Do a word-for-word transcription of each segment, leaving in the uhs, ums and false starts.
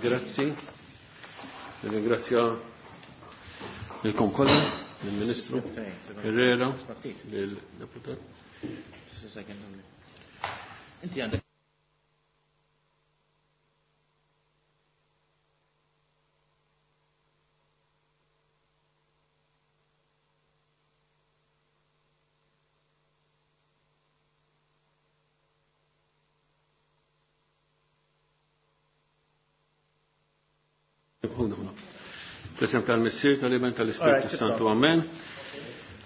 Grazzi. Nirringrazzja lilkom kollha, lill-Ministru Herrera, lill-Deputat. Just a second only. Inti għandek Ħuna, ħuna. Fl-isem tal-Missier, tal-Iben, tal-Ispirtu Santu, Amen.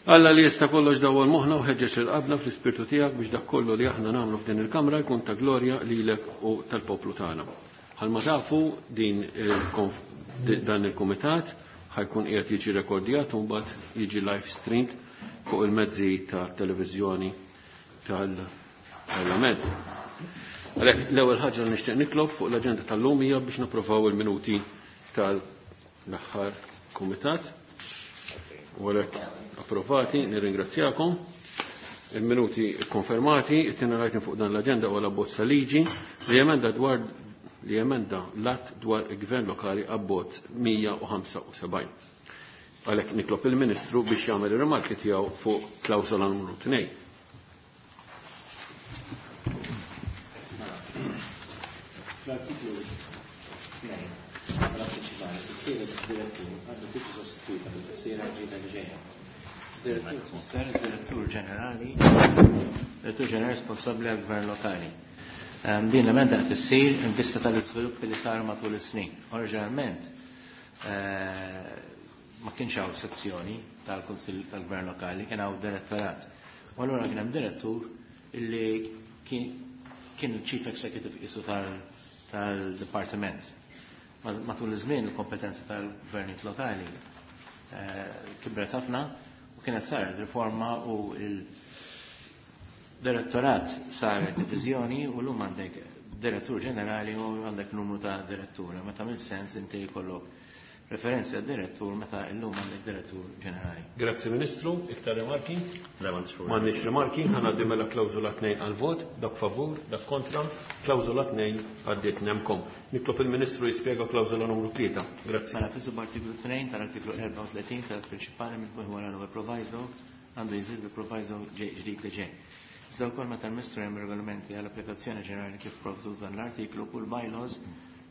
Alla li jista' kollox dawwal moħħna u ħeġġeġ il-qabna fl-Ispirtu tiegħek biex dak kollu li aħna nagħmlu f'din il-kamra jkun ta' glorja lilek u tal-poplu tagħna. Bħalma tafu din dan il-kumitat ħajkun qiegħed jiġi rekordjat u mbagħad jiġi live streamed fuq il-mezzi ta' televiżjoni tal-Parlament. Għalhekk l-ewwel ħaġa li nixtieq nitlob fuq l-aġenda tal-lum hija biex napprovaw il-minuti tal-aħħar kumitat. U għalhekk approvati, nirringrazzjakom. Il-minuti konfermati, it-tieni rajtin fuq dan l-aġenda huwa l-abbozz ta' liġi li emenda dwar li emenda l-att dwar il-gvern lokali abbozz mija u ħamsa u sebgħin. Għalhekk nitlob il-Ministru biex jagħmel ir-rimarki tiegħu fuq klawsola numru tnejn. L-artiklu tnejn tal-prinċipali tifsira direttur għandu tiġi sostituita bil-tifsira ġdida li ġejja. Direttur tfisser id-direttur ġenerali, direttur ġenerali responsabbli għall-gvern lokali. Ehm, din l-emenda qed issir in vista tal-iżviluppi li saru matul is-snin. Oriġinalment, eh, ma kienx hawn sezzjoni tal-Kunsill tal-Gvern Lokali, kien hawn direttorat. U allura kien hemm direttur illi kien, kien il-Chief Executive qisu tal-, tal-Dipartiment. Matul iż-żmien il-kompetenza tal-gvernijiet lokali, eh, kibret ħafna u kienet saret riforma u il-direttorat saret diviżjoni u llum għandek direttur ġenerali u għandek numru ta' diretturi. Ma tagħmel sens inti jkollok referenzi għad direttur meta llum għandek direttur ġenerali. Grazzi Ministru, iktar rimarki? Le, m'għandix problemi. M'għandniex rimarki, ħa ngħaddi mela klawżola tnejn għal-vot, dak favur, dak kontra, klawżola tnejn għaddiet nemkom. Nitlob il-Ministru jispjega klawżola numru tlieta. Grazzi. Mela fis-subartiklu tnejn tal-artiklu erbgħa u tletin tal-prinċipali minn fuq wara l-ewwel proviso għandu jżid il-proviso ġdid li ġej. Iżda wkoll meta l-Ministru hemm regolamenti għall-applikazzjoni ġenerali kif provdut dan l-artiklu kull bylaws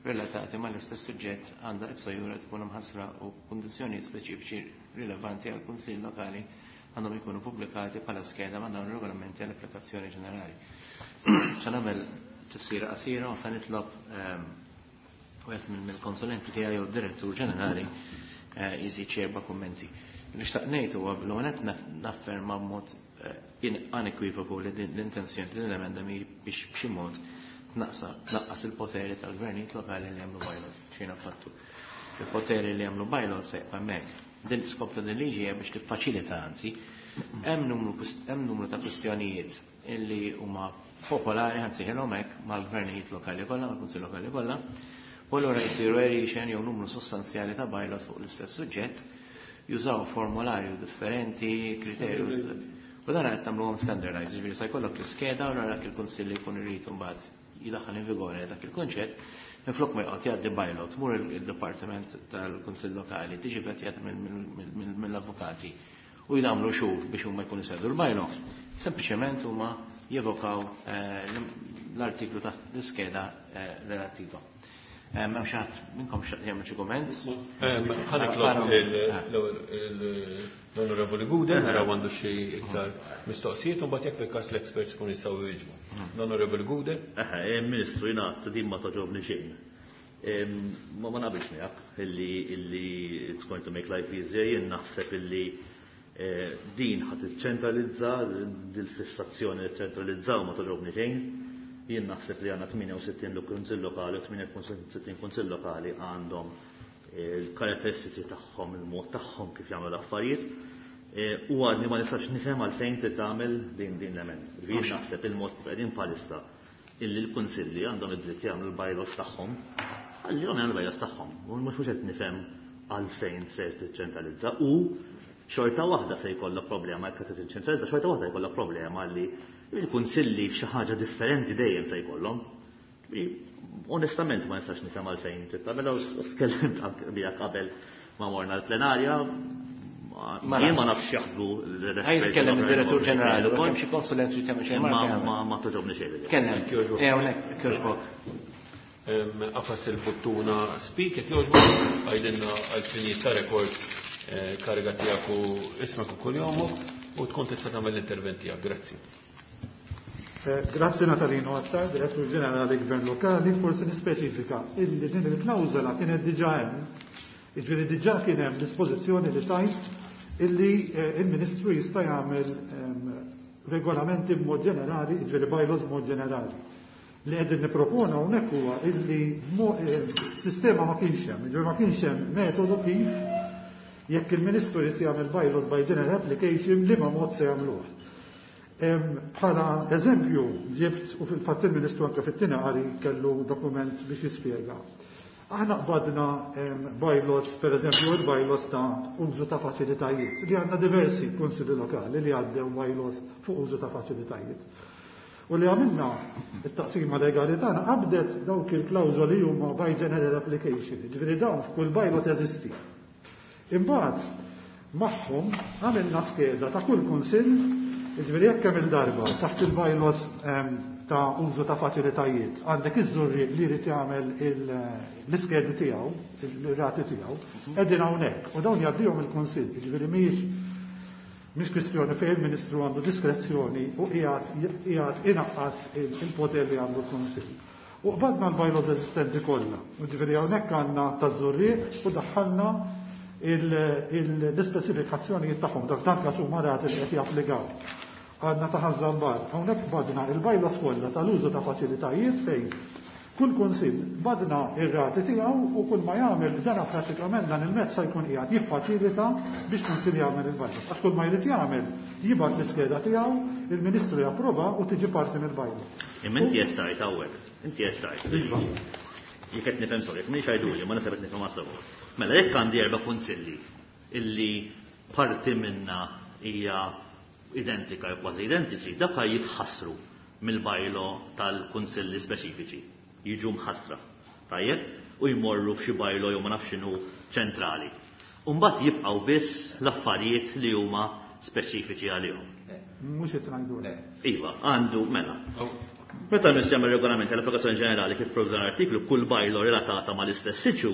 relatati mal-istess suġġett għandha ipso jure tkun imħassra u kundizzjonijiet speċifiċi rilevanti għal kunsill lokali għandhom ikunu pubblikati bħala skeda ma' dawn ir-regolamenti għall-applikazzjoni ġenerali. Se nagħmel tifsira qasira u se nitlob, ehm, wieħed mill-konsulenti tiegħi jew direttur ġenerali, eh, jżid xi erba' kummenti. Nixtaq ngħid huwa l-ewwel nett nafferma b'mod, eh, unequivocal li din l-intenzjoni din l-emenda mi biex b'xi mod tnaqsa, tnaqqas il-poteri tal-gvernijiet lokali li jagħmlu bylaws, xejn affattu. Il-poteri li jagħmlu bylaws se jibqa' hemmhekk. Din l-iskop ta' din liġi hija biex tiffaċilita, anzi, hemm numru kust-, hemm numru ta' kwistjonijiet illi huma popolari, anzi ħelhom hekk mal-gvernijiet lokali kollha, mal-kunsill lokali kollha, u allura jsiru variation jew numru sostanzjali ta' bylaws fuq l-istess suġġett, jużaw formularju differenti, kriterju. U dan qed nagħmluhom standardized, jiġifieri se jkollok l-iskeda u dak il-kunsill li jkun irid imbagħad jidaħħal in vigore dak il-kunċett, minflok ma joqgħod jgħaddi bylaw, tmur il-Dipartiment tal-Kunsill Lokali, tiġi vetjat mill-avukati u jagħmlu xhur biex huma jkunu sedu l-bylaw. Sempliċement huma jevokaw, eh, l-artiklu ta' l-iskeda, eh, relattiva. Eh, m'hemm xi ħadd minnkom xi jagħmel xi kumment? Ħa nitlob l-Onorevoli Gouder, naraw għandu xi iktar mistoqsijiet, u mbagħad jekk fil-każ l-experts kun jistgħu jwieġbu. L-Onorevoli Gouder. Eħe, eh, Ministru, jiena għadt din ma toġobni xejn. Em, ma, ma naqbilx miegħek illi, illi it's going to make life easier, jien naħseb illi, eh, din ħadd iċċentralizza, dil-fissazzjoni li ċentralizzaw ma toġobni xejn. Jien naħseb li għandna tmienja u sittin kunsill lokali u tmienja u sittin kunsill lokali għandhom il-karatteristiċi tagħhom, il-mod tagħhom kif jagħmlu l-affarijiet. Eh, u għadni ma nistax nifhem għalfejn trid tagħmel din, din l-emenda. Jien naħseb il-mod kif qegħdin bħalissa illi l-kunsilli għandhom id-dritt jagħmlu l-bylaws tagħhom, għallihom jagħmlu l-bylaws tagħhom. U mhux qed nifhem għalfejn se tiċċentralizza u xorta waħda se jkollok problema jekk qed tiċċentralizza, xorta waħda jkollok problema li il-kunsilli f'xi ħaġa differenti dejjem se jkollhom. Onestament ma nistax nifhem għalfejn trid tagħmilha u tkellimt miegħek qabel ma morna l-plenarja. Jien ma nafx jaħsbu l-esperti. Jitkellem id-direttur ġenerali, u kemm xi konsulent li tagħmel xejn. Ma togħġobni xejn. Tkellem. Eh, hawnhekk jogħġbok. Afas il-buttuna speak jekk jogħġbok, għajdilna għal-finijiet ta' rekord kariga tiegħek u ismek u kuljomok u tkun tista' tagħmel l-intervent tiegħek. Grazzi. Grazzi Natalino Attard, Direttur Ġenerali Gvern Lokali, forsi nispeċifika illi din il-klawżola kienet diġà hemm, jiġifieri diġà kien hemm dispożizzjoni li tajt illi il-Ministru jista' jagħmel regolamenti b'mod ġenerali, jiġifieri bylaws b'mod ġenerali. Li qegħdin nipproponu hawnhekk huwa illi sistema ma kienx hemm, jiġifieri ma kienx hemm metodu kif jekk il-Ministru jrid jagħmel bylaws by general application liema mod se jagħmluh. Bħala eżempju ġibt u fil-fatt il-Ministru anke fit-tieni qari kellu dokument biex jispjega. Aħna qbadna bylaws, per eżempju, il-bylaws ta' użu ta' faċilitajiet, li għandna diversi kunsilli lokali li għaddew bylaws fuq użu ta' faċilitajiet. U li għamilna it-taqsima legali tagħna qabdet dawk il-klawżoli huma by general application, ġifieri dawn f'kull bylaw teżisti. Imbagħad magħhom għamilna skeda ta' kull kunsill, ġifieri jekk hemm il-darba taħt il-bylaws ta' użu ta' faċilitajiet, għandek iż-Żurrieq li jrid jagħmel l-iskedi tiegħu, il-rati tiegħu, qegħdin hawnhekk u dawn jgħaddihom il-kunsill, jiġifieri mhijiex mhix kwistjoni fejn il-Ministru għandu diskrezzjoni u qiegħed inaqqas il-poter li għandu l-kunsill. U qbadna l-bylaws eżistenti kollha, jiġifieri hawnhekk għandna taż-Żurrieq u daħħalna l-ispeċifikazzjonijiet tagħhom, dak dan każ huma rati li qed japplikaw. Għandna ta' Ħaż-Żabbar, hawnhekk badna il-bylaws kollha tal-użu ta' faċilitajiet fejn kull kunsill badna ir-rati tiegħu u kull ma jagħmel dana pratikament dan il-mezz se jkun qiegħed jiffaċilita biex kunsill jagħmel il-bylaws. Għax kull ma jrid jagħmel jibgħat l-iskeda tiegħu, il-Ministru japprova u tiġi parti mill-bylaw. Imma inti qed tgħid hawnhekk, inti qed tgħid. Jekk qed nifhem sew, jekk m'iniex għajduli, ma naħseb qed nifhem sew. Mela jekk għandi erba' kunsilli illi parti minna hija identika jew kważi identiċi, dak jitħassru mill-bylaw tal-kunsilli speċifiċi, jiġu mħassra. Tajjeb? U jmorru f'xi bylaw jew ma nafx x'inhu ċentrali. U mbagħad jibqgħu biss l-affarijiet li huma speċifiċi għalihom. Mhux qed ngħidu. Iva, għandu mela. Meta nistgħu regolament tal-applikazzjoni ġenerali kif provda l-artiklu, kull bylaw relatata mal-istess siċu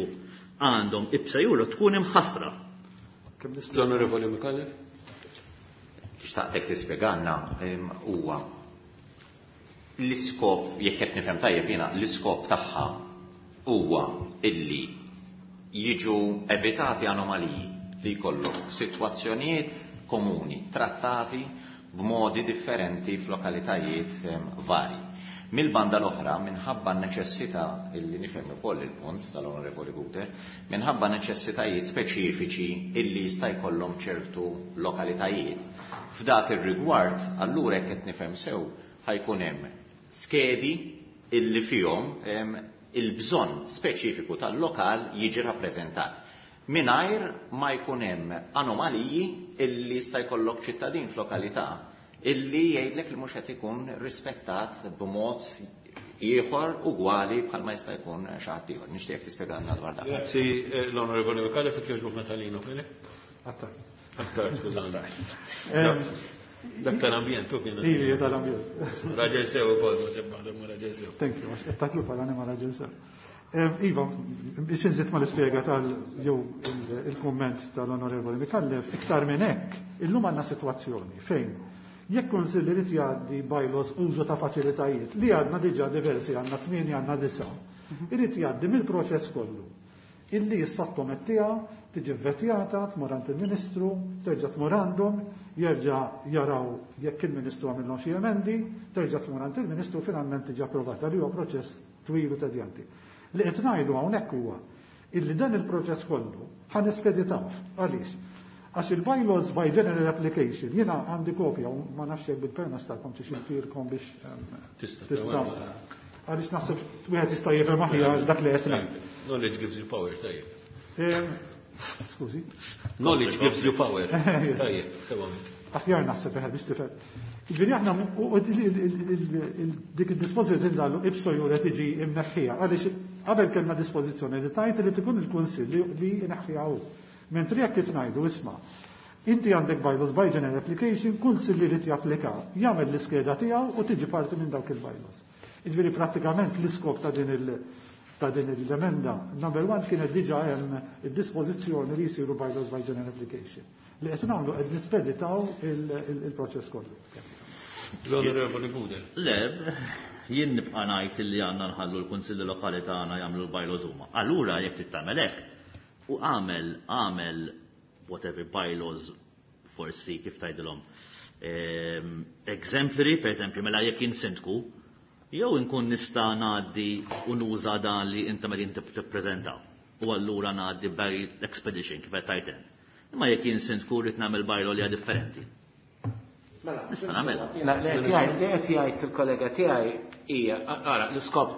għandhom ipsa juru tkun imħassra. L-Onorevoli Micallef? Xtaqtek tispjegalna huwa l-iskop, jekk qed nifhem tajjeb jiena, l-iskop tagħha huwa illi jiġu evitati anomaliji li jkollok sitwazzjonijiet komuni trattati b'modi differenti f'lokalitajiet varji. Mill-banda l-oħra, minħabba neċessità, illi nifhem ukoll il-punt tal-Onorevoli Gouder, minħabba neċessitajiet speċifiċi illi jista' jkollhom ċertu lokalitajiet. F'dak ir-rigward, allura jekk qed nifhem sew, ħajkun hemm skedi illi fihom il-bżonn speċifiku tal-lokal jiġi rappreżentat. Mingħajr ma jkun hemm anomaliji illi jista' jkollok ċittadin f'lokalità illi jgħidlek li mhux qed ikun rispettat b'mod ieħor ugwali bħalma jista' jkun xi ħadd ieħor. Nixtieq tispjegalna dwar dak. Grazzi l-Onorevoli Micallef, jekk jogħġbok Natalino Fenech. Attard. Attard, skużani. Dak tal-ambjent, tu kien. Iva, tal-ambjent. Raġel sew ukoll, ma sebbaħ, ma raġel sew. Thank you, għax qed tagħtlu bħala ma raġel sew. Iva, biex inżid ma l-ispjega tal jew il-kumment tal-Onorevoli Micallef, iktar minn hekk, illum għandna sitwazzjoni fejn jekk kunsill irid jgħaddi bylaws użu ta' faċilitajiet li għandna diġà diversi, għandna tmienja, għandna disa', irid jgħaddi mill-proċess kollu illi jissottomettiha, tiġi vvetjata, tmur għand il-Ministru, terġa' tmur għandhom, jerġa' jaraw jekk il-Ministru għamilhom xi emendi, terġa' tmur għand il-Ministru finalment tiġi approvata, li huwa proċess twil u tedjanti. Li qed ngħidu hawnhekk huwa illi dan il-proċess kollu ħa nispeditawh. Għaliex? Għax il-bylaws by general application, jiena għandi kopja u ma nafx jekk bil-permess tagħkom xi xintirkom biex Tista' tista'. Għaliex naħseb wieħed jista' jifhem aħjar dak li qed ngħid. Knowledge gives you power, tajjeb. Skużi. Knowledge gives you power. Tajjeb, sewa. Aħjar naħseb eħe biex tifhem. Ġifieri aħna dik id-dispożizzjoni nagħmlu ipso jure tiġi imneħħija għaliex qabel kellna dispożizzjoni li tajt li tkun il-Kunsill li jneħħiha hu. Mentri jekk qed ngħidu isma' inti għandek bylaws by general application, kunsill li jrid japplika, jagħmel l-iskeda tiegħu u tiġi parti minn dawk il-bylaws. Jiġifieri prattikament l-iskop ta' din il- ta' din l-emenda, number one kienet diġà hemm id-dispożizzjoni li jsiru bylaws by general application. Li qed nagħmlu qed nispeditaw il-proċess kollu. L-Onorevoli Gudel. Le, jien nibqa' ngħid li għandna nħallu l-Kunsilli Lokali tagħna jagħmlu l-bylaws huma. Allura jekk trid tagħmel hekk, u għamel għamel whatever bylaws forsi kif tgħidilhom ehm, exemplary, per eżempju, mela jekk jien sindku, jew inkun nista' ngħaddi u nuża dan li inta meta inti tippreżenta. U allura ngħaddi by expedition kif qed tgħid int. Imma jekk jien sindku rrid nagħmel bylaw li hija differenti. Nista' nagħmilha. Jiena li qed jgħid li qed jgħid il-kollega tiegħi hija ara l-iskop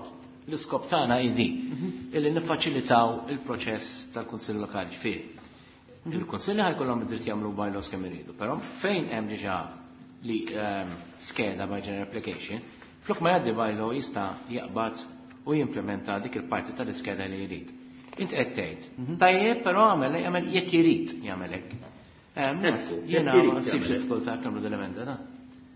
l-iskop tagħna hi din illi niffaċilitaw il-proċess tal-Kunsill Lokali fih. Il-Kunsilli ħa jkollhom id-dritt jagħmlu bylaws kemm iridu, però fejn hemm diġà li ehm, skeda by general application, flok ma jgħaddi bylaw jista' jaqbad u jimplementa dik il-parti tal-iskeda li jrid. Int qed tgħid, tajjeb però għamel jagħmel jekk irid jagħmel hekk. Ehm, Ekku, Jiena jekk irid ma nsibx jagħmel hekk. diffikultà nagħmlu dell-emenda da.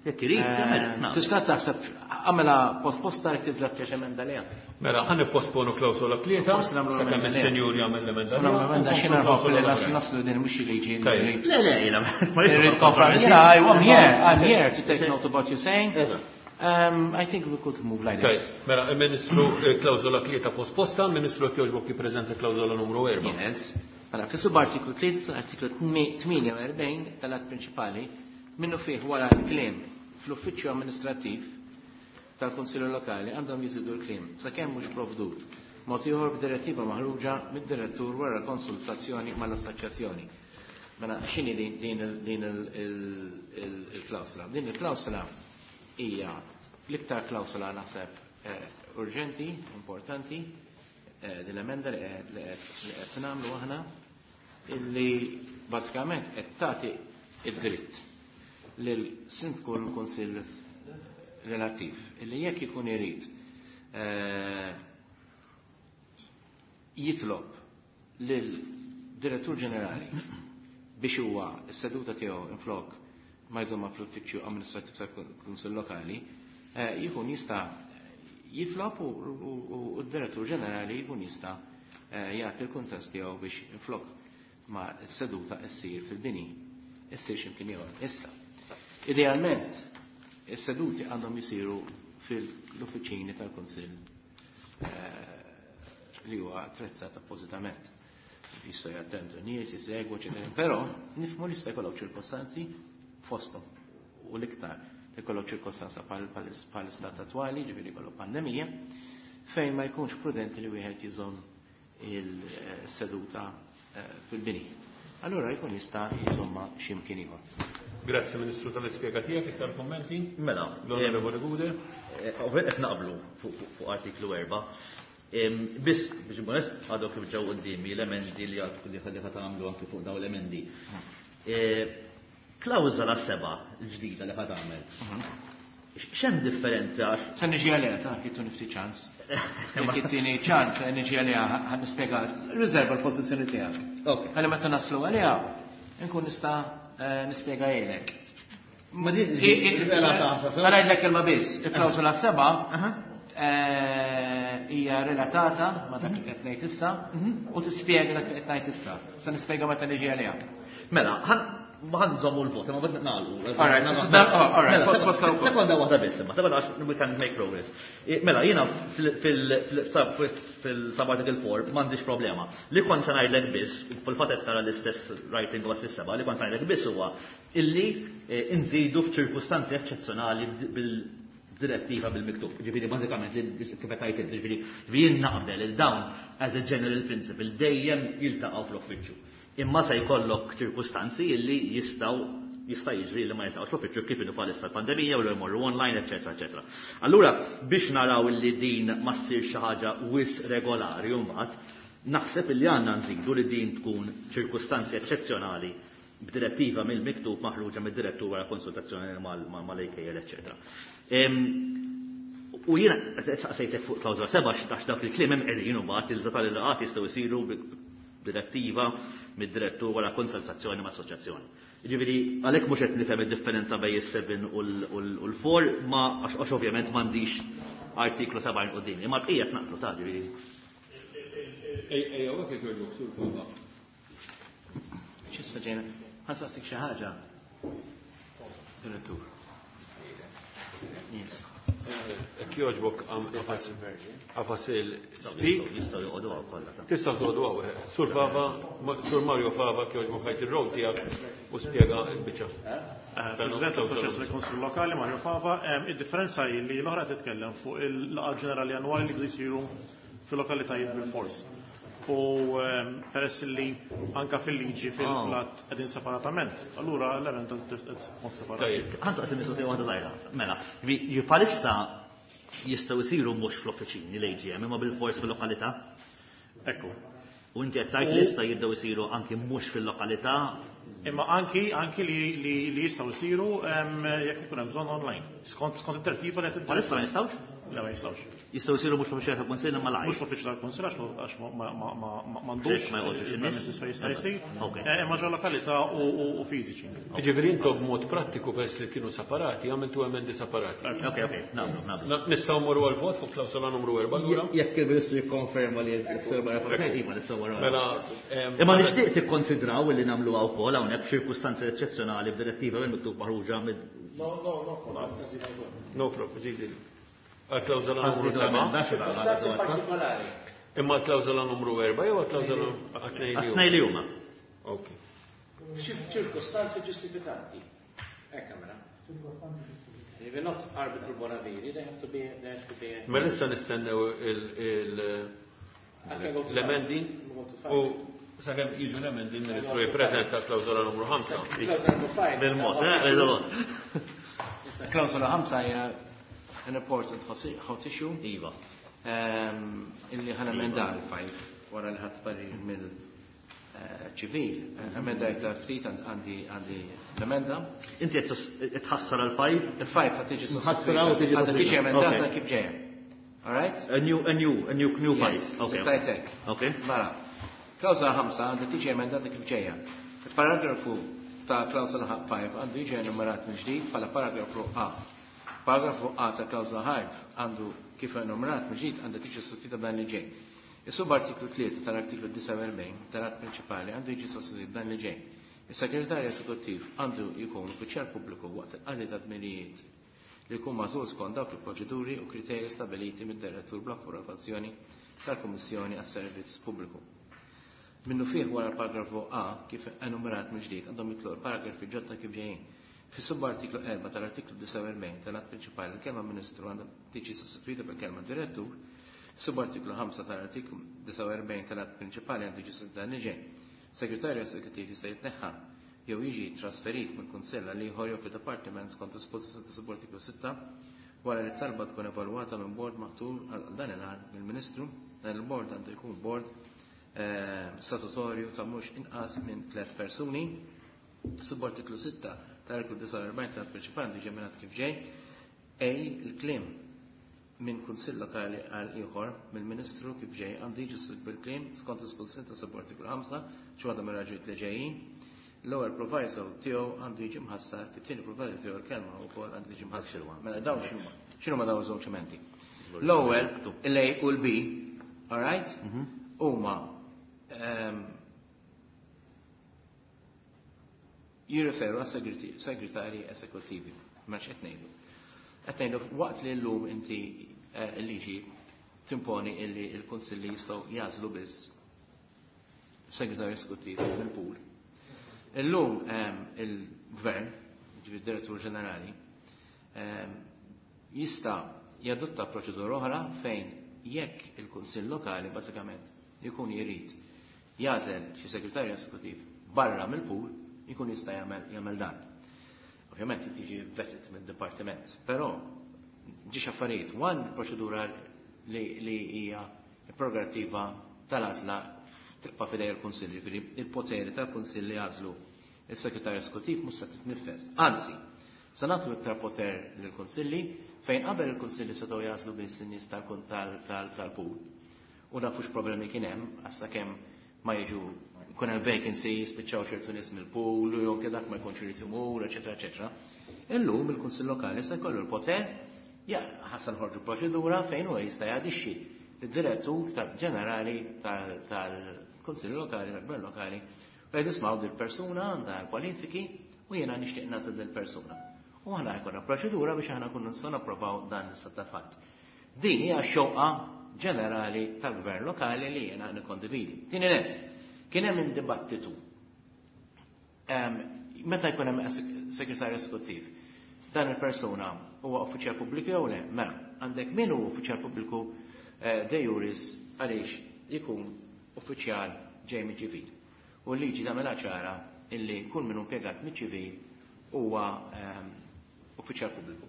Jekk irid jagħmel hekk, nagħmel. Tista' taħseb għamela posposta jekk tidrattja x'emenda liha. Mela, ħa nipposponu klawsola tlieta, Forsi nagħmlu sakemm l-emenda liha. is-senjur jagħmel l-emenda. Nagħmlu emenda xi nħobb li oħra. naslu din mhux liġi. Tajjeb. Le, le, jiena. Irrid konfermi. Yeah, I- I'm here. I'm here to take note of what you're saying. Eżatt. Um, I think we could move like Tajjeb, this. mela, il-Ministru eh, klawsola tlieta posposta, il-Ministru qed jogħġbok jippreżenta klawsola numru erba'. Yes. Mela, fi subartiklu tlieta artiklu tmienja u erbgħin tal-att prinċipali, minnu fih wara l-kliem fl-uffiċċju amministrattiv tal-Kunsillu Lokali għandhom jiżidu l-kliem sakemm mhux provdut mod ieħor b'direttiva maħruġa mid-direttur wara konsultazzjoni mal-assoċjazzjoni. Mela, x'inhi din din il- din il- il- il- il-klawsla? Din il-klawsla hija l-iktar klawsla naħseb eh, urġenti, importanti, eh, din l-emenda li qed li qed li qed nagħmlu aħna illi bażikament qed tagħti id-dritt lil sindku l-kunsill relattiv illi jekk ikun irid eh, jitlob lil direttur ġenerali biex huwa s-seduta tiegħu inflok ma jżomma fl-uffiċċju amministrattiv tal-Kunsill Lokali, eh, jkun jista' jitlob u u- u d-direttur ġenerali jkun jista' eh, jagħti l-kunsens tiegħu biex inflok ma s-seduta ssir fil-bini, issir x'imkien ieħor. Issa, idealment, is-seduti għandhom jisiru fil-uffiċini tal-Kunsill eh, li huwa attrezzat appożitament. Jistgħu jattendu nies, jisegwu, eċetera. Però nifhmu li jista' jkollok ċirkostanzi fosthom u l-iktar li jkollok ċirkostanza bħal istat attwali, ġifieri jkollok pandemija, fejn ma jkunx prudenti li wieħed jżomm il-seduta eh, fil-bini. Allura jkun jista' jżomma x'imkien ieħor. Grazzi Ministru tal-ispjega tiegħek, iktar kommenti? Mela, L-Onorevoli Gudel. Eh, Ovvijament qed naqblu fuq fuq- fuq artiklu erba'. Em, Biss, biex nkun onest, għadu kif ġew qudiemi l-emendi li għad li ħalli ħa tagħmlu anki fuq dawn l-emendi. Eh, Klawżola seba' l-ġdida li ħa tagħmel. X'hemm differenza għax Se niġi għaliha ta' kif nifti ċans. Jekk ittini ċans, se niġi għaliha ħa nispjega, riserva l-pożizzjoni tiegħek. Ok. Ħalli meta naslu għaliha, nkun nista' eh, nispjega jgħidlek. Ma din Ma ngħidlek kelma biss, il-klawsola seba' eh, hija relatata ma dak li qed ngħid issa u tispjega dak li qed ngħid issa. Se nispjega meta niġi għaliha. Mela, ħan ma ħan nżommu l-vot, ma bad nagħlqu. All right, oh, all right, Mela, post- post wkoll. Sekonda waħda biss, imma sekonda għax we can make progress. Eh, Mela, jiena fil-subarticle four m'għandix problema. Li kont se ngħidlek biss, u fil-fatt qed tara l-istess writing u fis-seba', li kont se ngħidlek biss huwa illi eh, nżidu f'ċirkustanzi eċċezzjonali bil direttiva bil-miktub. Ġifieri bażikament li kif qed tgħid int, ġifieri jien naqbel il dawn as a general principle dejjem jiltaqgħu fl-uffiċċju. Imma se jkollok ċirkustanzi illi jistgħu jista' jiġri li ma jiltaqgħux fl-uffiċċju kif inhu bħalissa l-pandemija u li jmorru online, eċetera, eċetera. Allura biex naraw illi din ma ssir xi ħaġa wisq regolari mbagħad, naħseb illi għandna nżidu li din tkun ċirkustanzi eċċezzjonali b'direttiva mill-miktub maħruġa mid-direttur wara konsultazzjoni mal-A K L, eċċetera. U jiena saqsejtek fuq klawżola seba' għax dak il-kliem hemm qegħdin u mbagħad iżda tal-laqgħat jistgħu jsiru b'direttiva mid-direttur wara konsultazzjoni ma' assoċjazzjoni. Jiġifieri għalhekk mhux qed nifhem id-differenza bejn is-seven u l-four, ma għax ovvjament m'għandix artiklu sebgħin qudiemi, imma l-bqija tnaqblu ta' ġifieri. Ejja, hekk jogħġbok, Sur Fava. X'issa ġejna? Ħa nsaqsik xi ħaġa. Direttur. Yes. Hekk jogħġbok għafas il-speak. Jistgħu joqogħdu hawn kollha ta'. Tistgħu toqgħodu hawn. Sur Fava, Sur Mario Fava, jogħġbok ħajt ir-rol tiegħek u spjega l-biċċa. President tal-Assoċjazzjoni Kunsill Lokali Mario Fava, id-differenza hi li l-oħra titkellem fuq il-laqgħa ġenerali annwali li jsiru fil-lokalitajiet bil-fors. U peress li anka fil-liġi fil-flat qegħdin separatament, allura l-emenda tkun separat. Ħa nsaqsi mistoqsija waħda żgħira. Mela, bħalissa jistgħu jsiru mhux fl-offiċini l-A G M imma bil-fors fil-lokalità? Ekku. U inti qed tgħid lista jibdew isiru anki mhux fil-lokalità? Imma anki, anki li, li, li jistgħu jsiru jekk ikun hemm bżonn online. Skont, skont it-tertiba li qed Bħalissa ma jistgħux? Le, ma jistgħux. Jistgħu jsiru mhux fl-uffiċċju tal-Kunsill imma live. Mhux fl-uffiċċju tal-Kunsill għax ma m'għandux Ma jqogħdux in-nies. il-premises fejn jista' jsir. Ok. Eh, imma ġo lokalità u, u, u fiżiċi. Jiġifieri intom b'mod prattiku peress li kienu separati, għamiltu emendi separati. Ok, ok, nagħmlu, nagħmlu. Na-, nistgħu mmorru għall-vot fuq klawsola numru erba' allura? Jekk il-Ministru jikkonferma li s-serba jafa' iva nistgħu mmorru. Mela, ehm, Imma nixtieq tikkonsidraw li nagħmluha wkoll hawnhekk f'ċirkustanzi eċċezzjonali b'direttiva minn miktub maħruġa minn No, no, no, No problem, żidi. Għal-klawżola numru Għal-klawżola seba'. Ċirkustanzi partikolari. Imma l-klawżola numru erba' jew għal-klawżola għat-tnejn li huma? Għat-tnejn li huma. Ok. Ċirkustanzi ġustifikanti. Hekk għamela. If you're not arbitral bonaviri, they have to be, they have to be. Mela issa nistennew il-, il-, I can go to l-emendi five. Go to five. u sakemm jiġu l-emendi l-Ministru jippreżenta l-klawżola numru ħamsa. Klawżola numru five. Bil-mod, eh, bil-mod. Klawżola ħamsa hija an important hot issue. Iva. Ehm, illi ħana emenda l-five wara li ħadd parir mill-ċivil. Emendajta ftit għandi għandi l-emenda. Inti qed tħassar għal-five? Il-five ħad tiġi Tħassar u tiġi Għandha tiġi sostituita. emendata Ok. kif ġejja. All right? A new, a new, a new, new five. Yes, Ok. tajtek. Ok. Mela, klawżola ħamsa għandha tiġi emendata kif ġejja. Il-paragrafu ta' klawżola five għandu jiġi enumerat mill-ġdid bħala paragrafu A. Paragrafu A ta' klawżola five għandu kif enumerat mill-ġdid għandha tiġi sostituita b'dan li ġej. Is-subartiklu tlieta tal-artiklu disgħa u erbgħin tal-att prinċipali għandu jiġi sostituit b'dan li ġej. Is-segretarju eżekuttiv għandu jkun uffiċjal pubbliku waqt il-qadi ta' dmirijiet li jkun magħżul skont dawk il-proċeduri u kriterji stabiliti mid-direttur bl-approvazzjoni tal-Kummissjoni għas-Servizz Pubbliku. Minnu fih wara l-paragrafu A kif enumerat mill-ġdid għandhom jitlu l-paragrafi ġodda kif ġejjin. Fis-subartiklu erba' tal-artiklu disgħa u erbgħin tal-att prinċipali l-kelma Ministru għandha tiġi sostituita bil-kelma Direttur. Subartiklu ħamsa tal-artiklu disgħa u erbgħin tal-att prinċipali għandu jiġi sostituita dan li ġej. Segretarju eżekuttiv jista' jitneħħa jew jiġi trasferit mill-Kunsill għal ieħor jew fid-dipartiment skont dispożizzjoni ta' subartiklu sitta wara li t-talba tkun evalwata minn bord maħtur għal dan il-għan mill-Ministru. Dan il-bord għandu jkun bord, eh, statutorju ta' mhux inqas minn tliet persuni. Subartiklu sitta tal-artiklu disgħa u erbgħin tal-att prinċipali għandu jiġi emendat kif ġej. Ej, il-kliem minn kunsill lokali għal ieħor mill-Ministru kif ġej għandu jiġi sostituit bil-kliem skont dispożizzjoni ta' subartiklu ħamsa xi waħda mir-raġunijiet li ġejjin. L-ewwel proviso tiegħu għandu jiġi mħassar, fit-tieni proviso tiegħu l-kelma wkoll għandu jiġi mħassar. Mela dawn x'inhuma? X'inhuma dawn iż-żewġ emendi? L-ewwel, l-A u l-B, all right? Huma, ehm, jirriferu għas segretarji esekutivi. Ma x'qed ngħidu? Qed ngħidu waqt li llum inti, eh, il-liġi timponi illi l-kunsilli jistgħu jażlu biss segretarju esekuttiv mill-pool. Illum, ehm, il-gvern, ġifieri d-direttur ġenerali, ehm, jista' jadotta proċedura oħra fejn jekk il-kunsill lokali bażikament jkun jrid jażel xi segretarju esekuttiv barra mill-pool, jkun jista' jagħmel, jagħmel dan. Ovvjament tiġi vetted mid-dipartiment, però ġiex affarijiet. One proċedura li, li hija prerogattiva tal-għażla tibqa' f'idej il-Kunsill, jiġifieri il-poteri tal-Kunsill li jagħżlu il-segretarju eżekuttiv mhux se titnifes. Anzi, se nagħtu iktar poter lill-kunsilli fejn qabel il-kunsilli setgħu jagħżlu biss in-nies tal-pool. U nafux problemi kien hemm, għax sakemm ma jiġu kun hemm vacancy, spiċċaw ċertu nies mill-pool, u jew dak ma jkunx irid imur, eċetera, eċetera. Illum il-Kunsill Lokali se jkollu l-poter, ja, ħa nħorġu proċedura fejn huwa jista' jadixxi id-direttur ġenerali tal-Kunsill Lokali, tal-Gvern Lokali, u jgħid ismgħu dil-persuna għandha kwalifiki u jiena nixtieq nagħżel dil-persuna. U aħna jkollna proċedura biex aħna nkunu nistgħu napprovaw dan l-istat ta' fatt. Din hija xewqa ġenerali tal-Gvern Lokali li jiena nikkondividi. Tieni net, kien hemm dibattitu. Meta jkun hemm segretarju eżekuttiv, dan il-persuna huwa uffiċjal pubbliku jew le? Mela, għandek min hu uffiċjal pubbliku de juris għaliex ikun uffiċjal ġej miċ-ċivil. U l-liġi tagħmilha ċara illi kull min impjegat miċ-ċivil huwa uffiċjal pubbliku.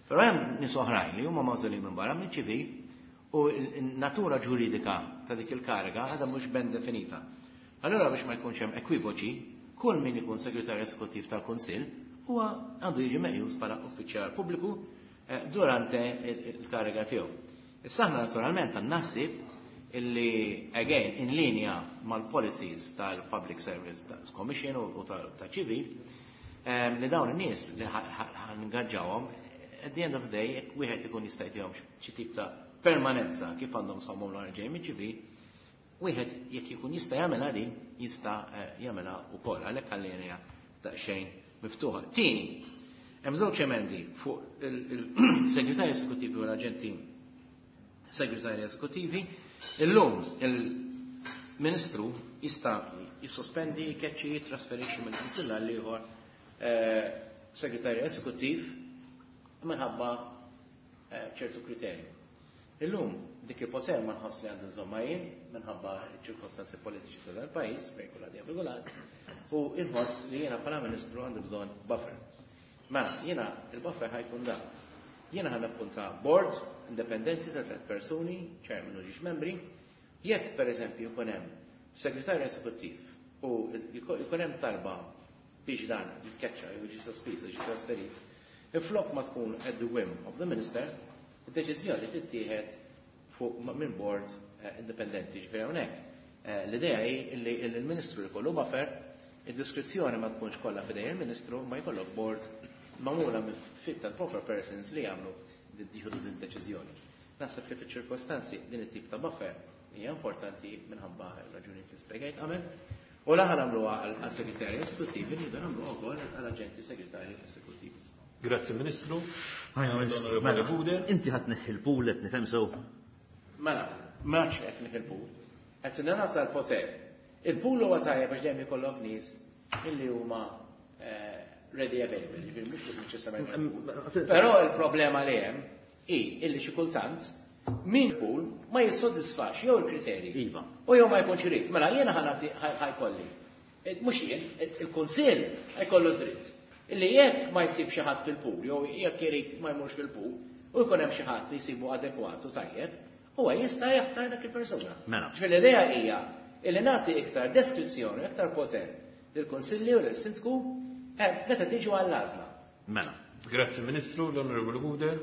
Però hemm nies oħrajn li huma magħżulin minn barra miċ-ċivil u n-natura ġuridika ta' dik il-kariga għadha mhux ben definita. Allora biex ma jkunx hemm ekwivoċi, kull min ikun segretarju eżekuttiv tal-Kunsill huwa għandu jiġi meqjus bħala uffiċjal pubbliku durante il-kariga tiegħu. Issa aħna naturalment għandna ħsieb illi again in linja mal-policies tal-Public Service Commission u ta' ċivil li dawn in-nies li ħa ningaġġawhom at the end of the day jekk wieħed ikun jista' jtihom xi tip ta' permanenza kif għandhom sħabhom l-ġej miċ-ċivil, wieħed jekk ikun jista' jagħmilha din jista' jagħmilha wkoll għalhekk ħallejna daqsxejn miftuħa. Tieni, hemm żewġ emendi fuq il-segretarji eżekuttivi u l-aġenti segretarji eżekuttivi. Illum il-Ministru jista' jissospendi, jkeċċi, jitrasferixxi minn kunsill għal ieħor segretarju eżekuttiv minħabba ċertu kriterji. Illum dik il-poter ma nħoss li għandu nżomma jien minħabba ċirkostanzi politiċi ta' dal-pajjiż fejn kull għadija regolat u inħoss li jiena bħala Ministru għandu bżonn buffer. Mela, jiena il-buffer ħa jkun dan. Jiena ħa nappunta board indipendenti ta' tliet persuni, chairman u ġiex membri, jekk pereżempju jkun hemm segretarju eżekuttiv u jkun hemm talba biex dan jitkeċċa jew jiġi sospiż jiġi trasferit, inflok ma tkun at the whim of the minister, id-deċiżjoni tittieħed fuq minn board indipendenti. Ġifieri hawnhekk l-idea hi li l-Ministru jkollu buffer, id-diskrezzjoni ma tkunx kollha f'idej il-Ministru, ma jkollok board magħmula minn fit tal-proper persons li jagħmlu jieħdu din deċiżjoni. Naħseb li fiċ-ċirkostanzi din it-tip ta' buffer hija importanti minħabba raġunijiet li spjegajt qabel. U la ħa nagħmluha għal-segretarji eżekuttivi, nridu nagħmluha wkoll għall-aġenti segretarji eżekuttivi. Grazzi Ministru. Mela, inti ħa tneħħi l-pool qed nifhem sew. Mela, m'għadx qed neħħi l-pool. Qed nagħta l-poter. Il-pool huwa tajjeb għax dejjem ikollok nies illi huma ready available, ġifieri mhux neċessarjament. Però il-problema li hemm hi illi xi kultant min pool ma jissodisfax jew il-kriterji. Iva. U jew ma jkunx irid. Mela jiena ħa nagħti ħa jkolli. Mhux jien, il-Kunsill ħa jkollu dritt. Illi jekk ma jsib xi ħadd fil-pool jew jekk irid ma jmurx fil-pool u jkun hemm xi ħadd li jsibu adekwat u tajjeb, huwa jista' jaħtar dak il-persuna. Mela. Ġifieri l-idea hija illi nagħti iktar deskrizzjoni, iktar poter lill-Kunsilli u lill-Sindku meta tiġu għall-għażla. Mela. Grazzi Ministru, l-Onorevoli Gouder.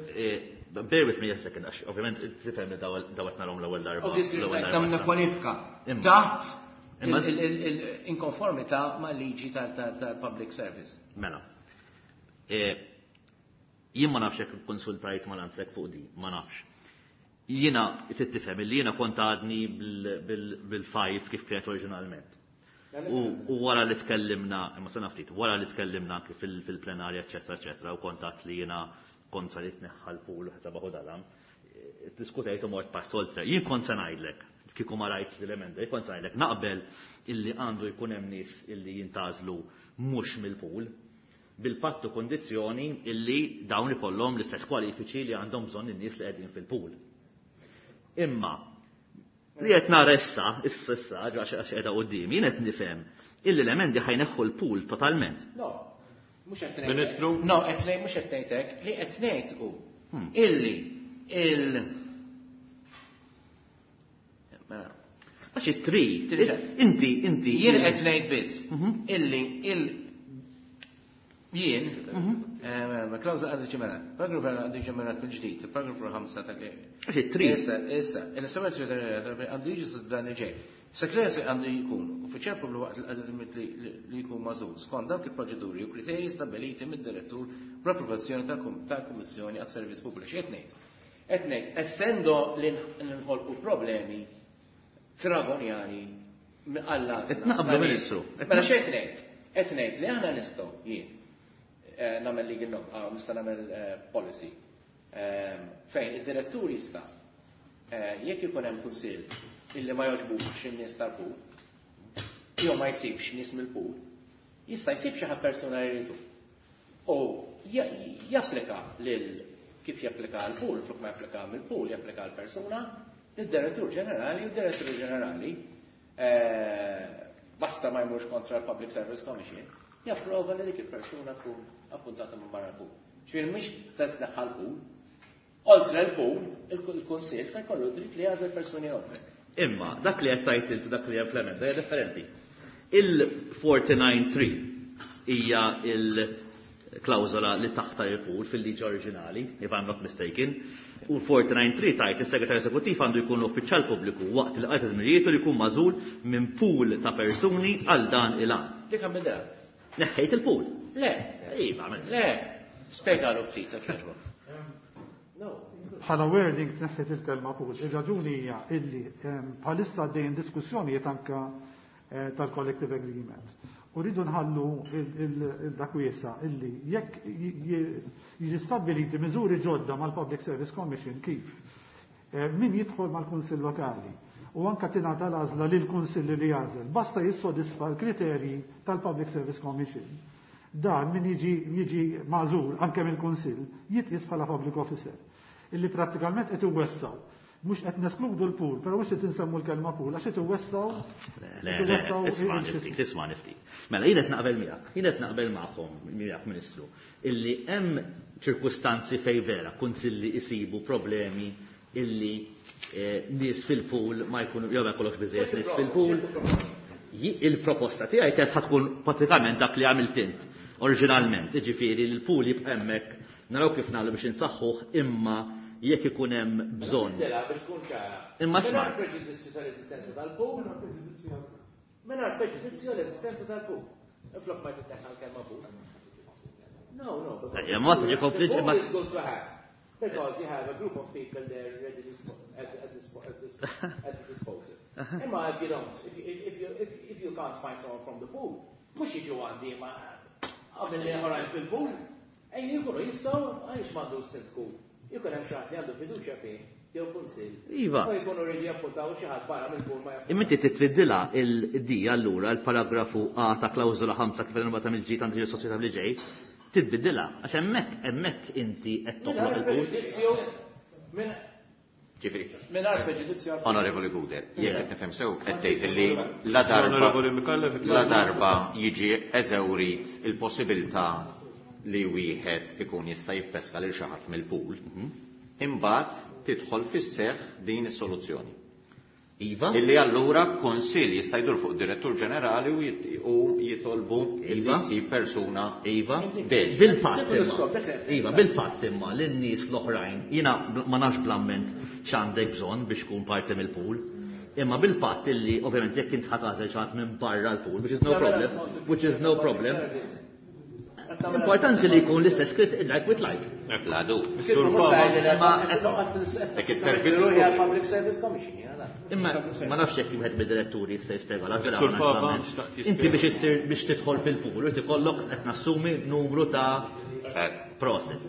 Bear with me a second, għax ovvjament tifhem li dawat narhom l-ewwel darba. Obviously, L-ewwel nagħmlu darba. kwalifika. Taħt Imma- il-inkonformità ma' liġi tal-public service. Mela. Jien ma nafx jekk konsultajt ma' Landsec fuq di, ma nafx. Jiena trid tifhem illi jiena kont għadni bil-five kif kienet oriġinalment. U wara li tkellimna, imma sena ftit, wara li tkellimna kif fil-plenarja, eċetera, eċetera, u kontat li jiena kontra li tneħħa l-pool u ħsabaħu dalam, diskutejt u mort pass oltre. Jien kont se ngħidlek, kieku ma rajt l-emenda, jien kont se ngħidlek naqbel illi għandu jkun hemm nies illi jintgħażlu mhux mill-pool, bil-pattu kondizzjoni illi dawn ikollhom l-istess kwalifiċi li għandhom bżonn in-nies li qegħdin fil-pool. Imma li qed nara issa, issa issa, għax għax qiegħda quddiem, jien qed nifhem illi l-emendi ħa jneħħu l-pool totalment. No, mhux qed ngħid. Ministru? No, qed ngħid mhux qed ngħid hekk, li qed ngħid hu illi il Mela, Għax it-tri, Tri. inti, inti. Jien qed ngħid biss illi il Jien, klawżola għandu ġemerat, paragrafu għandu ġemerat mill-ġdid, paragrafu ħamsa ta' Tri. Issa, issa, il-segretarju għandu jiġi dan li ġej. Segretarju għandu jkun uffiċjal pubbliku waqt li jkun magħżul skont dawk il-proċeduri u kriterji stabiliti mid-direttur bl-approvazzjoni tal-Kummissjoni għas-Servizz Pubbliku. Qed ngħid? Qed ngħid, essendo li nħolqu problemi tragonjani għall-għażla. Naqblu Ministru. Mela x'qed ngħid? Qed ngħid li aħna nistgħu jien nagħmel legal no, nista' nagħmel policy fejn id-direttur jista' jekk ikun hemm kunsill illi ma jogħġbux in-nies tal-pool, jew ma jsibx nies mill-pool, jista' jsib xi ħadd persuna li jridu. U japplika lil kif japplika għal pool, flok ma japplika mill-pool, japplika għal persuna, lid-direttur ġenerali u d-direttur ġenerali basta ma jmurx kontra l-Public Service Commission, japprova li dik il-persuna tkun appuntata minn barra l-pool. Ġifieri mhix se tneħħa l-pool, oltre l-pool, il-kunsill se jkollu dritt li jagħżel persuni oħra. Imma dak li qed tgħid inti dak li hemm fl-emenda hija differenti. Il-forty-nine three hija il-klawżola li taħta il-pool fil-liġi oriġinali, if I'm not mistaken, u forty-nine three tajt is-segretarju eżekuttiv għandu jkun uffiċjal pubbliku waqt li qajt id-dmirijiet li jkun magħżul minn pool ta' persuni għal dan il-għan. Dik għam bidha. Neħħejt il-pool. Le. Iva, mela. Le. Spjegalu ftit, jekk jogħġbok. No. Bħala wording tneħħet il-kelma pool. Ir-raġuni hija illi bħalissa għaddejjin diskussjonijiet anka tal-collective agreement. U rridu nħallu dak wiesa illi jekk jiġi stabbiliti miżuri ġodda mal-Public Service Commission kif min jidħol mal-Kunsill Lokali u anka tingħata l-għażla lil kunsill li jagħżel, basta jissodisfa l-kriterji tal-Public Service Commission. Dan min jiġi, jiġi magħżul anke mill-Kunsill jitqies bħala public officer. Illi prattikament qed iwessaw. Mhux qed neskludu l-pool, però mhux qed insemmu l-kelma pool, għax qed iwessaw. Le, le, isma' niftit, isma' niftit. Mela jien qed naqbel miegħek, jien qed naqbel magħhom, miegħek Ministru, illi hemm ċirkustanzi fejn vera kunsilli isibu problemi illi nies fil-pool ma jkunu jew ma jkollokx biżejjed nies fil-pool. Il-proposta tiegħi kienet ħa tkun pratikament dak li għamilt int oriġinalment, jiġifieri li l-pool jibqa' hemmhekk naraw kif nagħmlu biex insaħħuh imma jekk ikun hemm bżonn. Imma sma. Mingħajr preġudizzju tal-eżistenza tal-pool. Mingħajr preġudizzju tal-eżistenza tal-pool. Inflok ma titneħħa l-kelma pool. No, no. Ma tiġi konflitt imma is good to have. Because you have a group of people there ready at, at, at, at the disposal. Imma if you don't, if, if, you, if, if you can't find someone from the pool, mhux jiġu għandi ma qabel li oħrajn fil-pool, ejn jkunu jistgħu għaliex m'għandu sindku. Jkun hemm xi ħadd li għandu fiduċja fih jew kunsill. Iva. U jkunu rridu jappuntaw xi ħadd barra mill-pool ma jappuntaw. Imma inti titbiddilha il-D allura l-paragrafu A ta' klawżola ħamsa kif il-nota mill-ġid għandu ġi soċjetà li ġej, titbiddilha għax hemmhekk hemmhekk inti qed toħloq il-pool. Ġifieri. Mingħajr preġudizzju. Onorevoli Gouder, jekk qed nifhem sew qed tgħid illi la darba la darba jiġi eżewrit il-possibilità li wieħed ikun jista' jippeska lil xi ħadd mill-pool, imbagħad tidħol fis-seħħ din is-soluzzjoni. Iva. Illi allura kunsill jista' jdur fuq direttur ġenerali u jitolbu Iva. illi jsib persuna Iva. Del. Bil-patt imma. Iva, bil-patt imma lin-nies l-oħrajn, jiena ma nafx bl-amment x'għandek bżonn biex tkun parti mill-pool. Imma bil-patt illi ovvjament jekk int ħa tagħżel xi ħadd minn barra l-pool, which is no problem, which is no problem. Importanti li jkun l-istess krit like with like. La du. Ma Public Service Commission, jiena Imma ma nafx jekk wieħed mid-diretturi jista' jispjega la vera. Sur Fava, xtaqt jispjega. Inti biex issir biex tidħol fil-pool, irid ikollok qed nassumi numru ta' proset.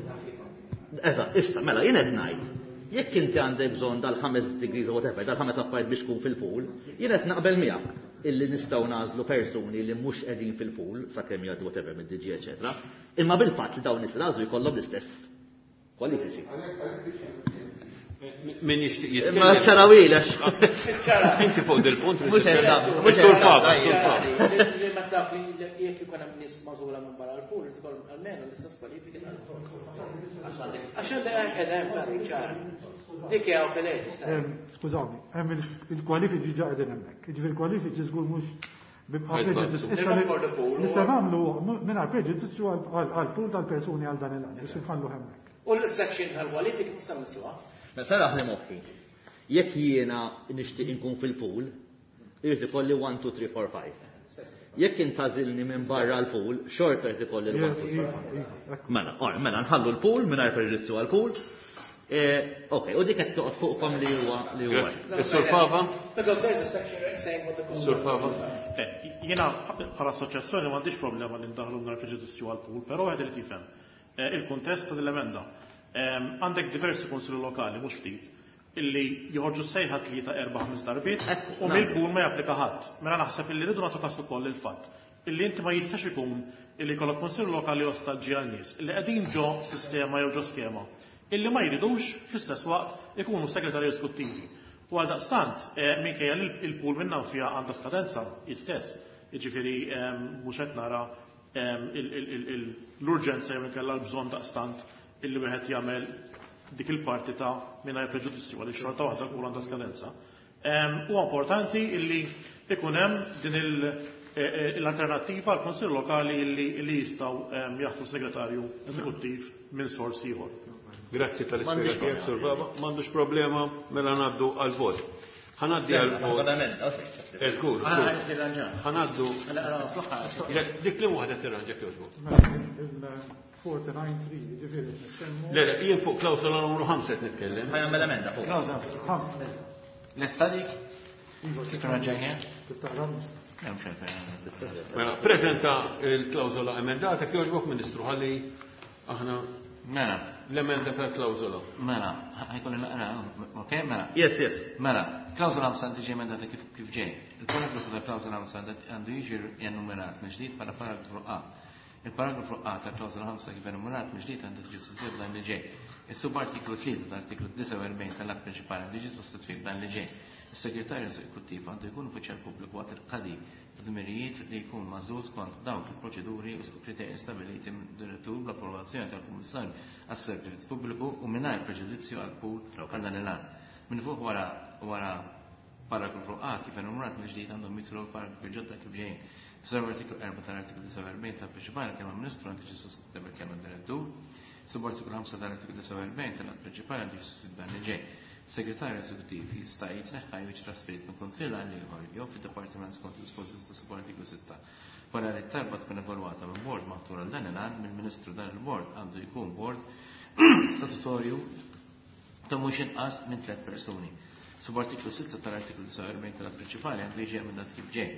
Eżatt, issa mela jien qed ngħid, jekk inti għandek bżonn dal-ħames degrees or whatever, dal-ħames affarijiet biex tkun fil-pool, jien qed naqbel miegħek illi nistgħu nagħżlu persuni li mhux qegħdin fil-pool sakemm jgħaddu whatever mid-D G eċetera, imma bil-fatt li dawn nies nagħżlu jkollhom l-istess kwalifiċi. Min jixtieq jitkellem? Ma ċarawilx. Inti fuq dil-punt. Mhux qed nagħmlu, mhux Sur qed Fava, nagħmlu. Sur Fava. Li ma taf li jekk ikun hemm nies magħżula minn barra l-pool, irid ikollhom almenu l-istess kwalifiki tal-pool. Għax għandek qed hemm ċara. Dik hija okej. Skużawni, hemm il-kwalifiċi ġa qegħdin hemmhekk. Jiġifieri il-kwalifiċi żgur mhux Li se nagħmlu mingħajr preġudizzju għall-pool tal-persuni għal dan il-għan, biex nħallu hemmhekk. U l-section tal-kwalifiki mhux se mmessuha. Ma saraħ li moħħi. Jekk jiena nixtieq inkun fil-pool, irid ikolli one, two, three, four, five. Jekk intgħażilni minn barra l-pool, xorta jrid ikolli l-one, two, three, four. Mela, ora, mela nħallu l-pool mingħajr preġudizzju għall-pool. Ok, u dik qed toqgħod fuqkom li huwa li huwa. Is-Sur Fava? Because there's a section saying what the pool. Sur Fava? Jiena bħala assoċjazzjoni m'għandix problema li ndaħlu mingħajr preġudizzju għall-pool, però wieħed irid jifhem il-kuntest tal-emenda. Għandek diversi kunsilli lokali, mhux ftit, illi joħorġu sejħa tlieta erba' ħames darbiet u mill-pool ma japplika ħadd. Mela naħseb illi rridu nagħtu każ ukoll il-fatt illi inti ma jistax ikun illi jkollok kunsill lokali ostaġġi għal nies illi qegħdin ġo sistema jew ġo skema illi ma jridux fl-istess waqt ikunu segretarji eżekuttivi. U għaldaqstant, minkejja li il-pool minnha fiha għandha skadenza istess, jiġifieri mhux qed nara l-urġenza jew inkella l-bżonn daqstant illi wieħed jagħmel dik il-parti ta' mingħajr preġudizzju għaliex xorta waħda l-pool għandha skadenza. Huwa importanti illi ikun hemm din l-alternattiva għal kunsill lokali illi jistgħu jaħtru segretarju eżekuttiv minn sors ieħor. Grazzi tal-ispjega tiegħek, Sur Fava. M'għandux problema, mela ngħaddu għall-vot. Ħa ngħaddi għall-vot. Żgur. Ħa ngħaddu. Dik li waħda tirranġa jogħġbok. forty-nine three, ġifieri nitkellmu. Le, le, jien fuq klawsola numru ħamsa qed nitkellem. Ħa jagħmel emenda fuq. Klawsola ħamsa. Lesta dik? Iva, Tirranġajniha? Titaqra? Mela, preżenta l-klawsola emendata jogħġbok, Ministru, ħalli aħna Mela. L-emenda tal-klawsola. Mela, ħajkolli naqra, ok, mela. Yes, yes. Mela, klawsola ħamsa tiġi emendata kif kif ġej. Il-paragrafu tal-klawsola ħamsa għandu jiġi enumerat mill-ġdid bħala paragrafu A. Il-paragrafu A tal-klawsola ħamsa kif enumerat mill-ġdid għandu tiġi sostituit dan li ġej. Is-subartiklu tlieta tal-artiklu disgħa u erbgħin tal-att prinċipali għandu jiġi sostituit dan li ġej. Is-segretarju eżekuttiv għandu jkun uffiċjal pubbliku waqt il-qadi dmirijiet li jkun magħżul skont dawk il-proċeduri u kriterji stabiliti mid-direttur bl-approvazzjoni tal-Kummissarju għas-Servizz Pubbliku u mingħajr preġudizzju għall-pool għal dan il-għan. Minn fuq wara wara paragrafu A kif enumerat mill-ġdid għandhom jidħlu paragrafi ġodda kif ġejjin. F'artiklu erba' tal-artiklu disgħa u erbgħin tal-prinċipali kelma Ministru għandu jiġi sostituit bil-kelma Direttur. Subartiklu ħamsa tal-artiklu disgħa u erbgħin tal-att prinċipali għandu jiġi sostituit dan li ġej. Segretarju eżekuttiv jista' jitneħħa jew jiġi trasferit minn kunsill għal ieħor jew fid-dipartiment skont dispożizzjoni ta' subartiklu sitta. Wara li t-talba tkun evalwata minn bord maħtur għal dan il-għan mill-Ministru, dan il-bord għandu jkun bord statutorju ta' mhux inqas minn tliet persuni. Subartiklu sitta tal-artiklu disgħa u erbgħin tal-att prinċipali għandu jiġi emendat kif ġej.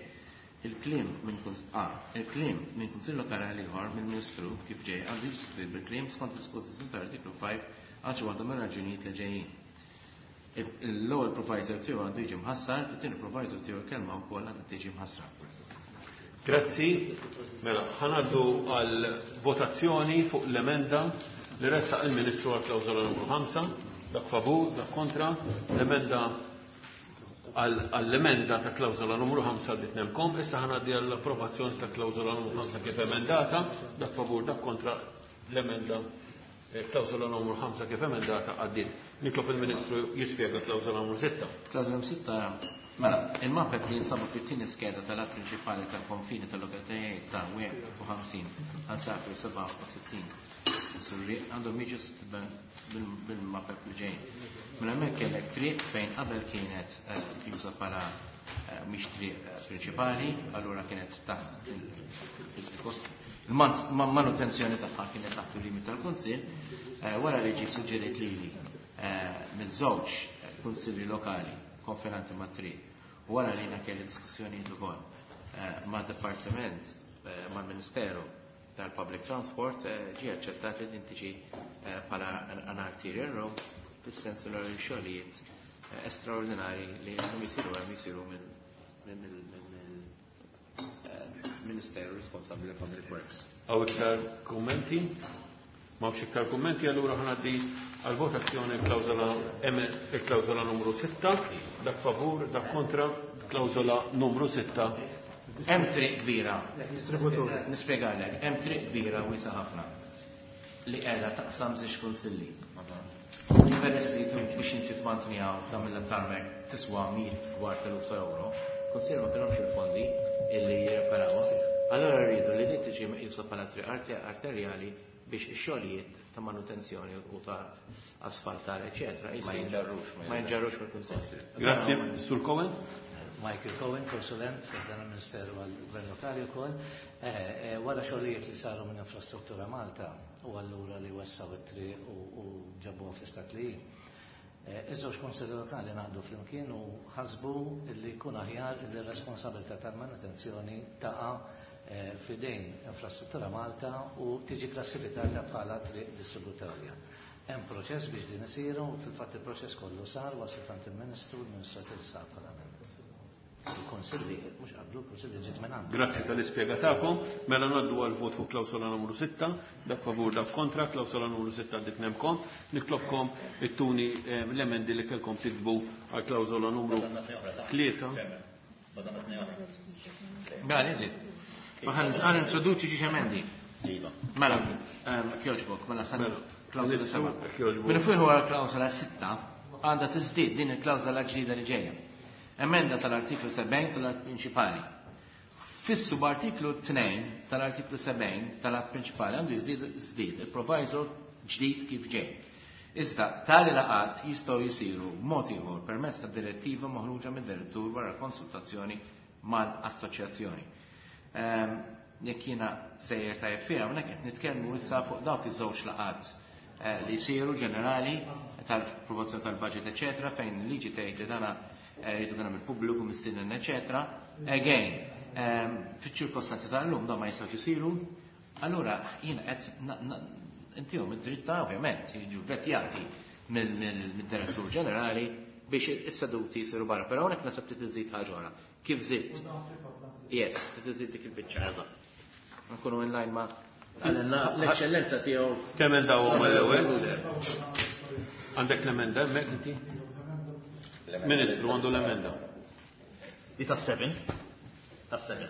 Il-kliem minn kuns A, il-kliem minn kunsill lokali għal ieħor mill-Ministru kif ġej għandu jiġi sostituit bil-kliem skont dispożizzjoni tal-artiklu five għal xi waħda mir-raġunijiet li ġejjin. L-ewwel proviso tiegħu għandu jiġi mħassar, fit-tieni proviso tiegħu l-kelma wkoll għandha tiġi mħassra. Grazzi. Mela, ħa ngħaddu għal votazzjoni fuq l-emenda li ressaq il-Ministru għal klawżola numru ħamsa. Dak favur, dak kontra, l-emenda għall-emenda ta' klawżola numru ħamsa li tnemkom. Issa ħa ngħaddi għall-approvazzjoni ta' klawżola numru ħamsa kif emendata. Dak favur, dak kontra, l-emenda klawżola numru ħamsa kif emendata għaddiet. Nitlob il-Ministru jispjega klawżola numru sitta. Klawżola numru sitta, mela, il-mapep li jinsabu fit-tieni skeda tal-att prinċipali tal-konfini tal-lokalitajiet ta' wieħed u ħamsin għal sakru sebgħa u sittin Surri għandhom jiġu bil-mapep li ġejjin. Mela hemmhekk kellek triq fejn qabel kienet juża bħala mhix triq prinċipali, allura kienet taħt il-kost il-manutenzjoni tagħha kienet taħt il-limit tal-Kunsill, wara li ġie suġġerit lili miż-żewġ kunsilli lokali konfinanti mat-triq, u wara li jiena kelli diskussjonijiet ukoll mad-Dipartiment, mal-Ministeru tal-Public Transport, ġie aċċettat li din tiġi bħala an arterial road fis-sens li xogħlijiet estraordinari li għandhom jisiru hemm jisiru mill-Ministeru responsabbli għall-Public Works. Hawn iktar kummenti? M'hawnx iktar kummenti, allura ħa ngħaddi għal-votazzjoni klawżola M, il-klawżola numru sitta, dak favur, dak kontra, klawżola numru sitta. Hemm triq kbira. Distributur. Nispjegalek, hemm triq kbira wiesa ħafna li qiegħda taqsam żewġ kunsilli. Peress li biex inti tmantniha tagħmilha tarmac tiswa mijiet kbar tal-eluf ta' euro, Kunsill ma kellhomx il-fondi illi jirreparawha. Allora rridu li din tiġi meqjusa bħala triq arterjali biex ix-xogħlijiet ta' manutenzjoni u ta' asfaltar, eċetera. Ma jinġarrux. Ma jinġarrux mill-Kunsill. Grazzi, Sur Cohen. Michael Cohen, konsulent f'dan il-Ministeru għall-Gvern Lokali wkoll. Wara xogħlijiet li saru minn Infrastruttura Malta u allura li wessaw it-triq u ġabuha fl-istat li hi. Iż-żewġ kunsilli lokali ngħaqdu flimkien u ħasbu li jkun aħjar li r-responsabilità tal-manutenzjoni taqa' f'idejn Infrastruttura Malta u tiġi klassifikata bħala triq distributorja. Hemm proċess biex din isiru u fil-fatt il-proċess kollu sar waslet għand il-Ministru, il-Ministru tilsa bħala membru. Il-Konsilli, mhux qablu, il-Konsilli ġiet minn għandu. Grazzi tal-ispjega tagħkom. Mela ngħaddu għal vot fuq klawsola numru sitta, dak favur dak kontra, klawsola numru sitta għaddit nemkom. Nitlobkom ittuni l-emendi li kellkom tiktbu għal klawsola numru tlieta. Mela niżid. Ma ħan introduċi xi emendi. Iva. Mela, kjoġbok, mela san klawsola seba'. Kjoġbok. Minn fuq wara klawsola sitta għandha tiżdied din il-klawsola ġdida li ġejja. Emenda tal-artiklu sebgħin tal-att prinċipali. Fis-subartiklu tnejn tal-artiklu sebgħin tal-att prinċipali għandu jiżdied il-proviso ġdid kif ġej. Iżda tali laqat jistgħu jsiru b'mod ieħor permezz ta' direttiva maħruġa mid-direttur wara konsultazzjoni mal-assoċjazzjoni. Jekk jiena sejjer tajjeb fiha, hawnhekk qed nitkellmu issa fuq dawk iż-żewġ laqat li jsiru ġenerali tal-approvazzjoni tal-budget, eċetera, fejn il-liġi tgħid li dana rridu kien hemm il-pubbliku mistieden, eċetera. Again, fiċ-ċirkostanzi tal-lum dawn ma jistgħux isiru. Allura jiena qed intihom id-dritta ovvjament jiġu vetjati mid-direttur ġenerali biex is-seduti jsiru barra. Però hawnhekk naħseb trid iżid ħaġa oħra. Kif żidt? Yes, trid iżid dik il-biċċa. Eżatt. Nkunu in line ma' l-eċċellenza tiegħu. Temendawhom mal-ewwel. Għandek l-emenda hemmhekk inti? Ministru għandu l-emenda. Di ta' seven. Ta' seven.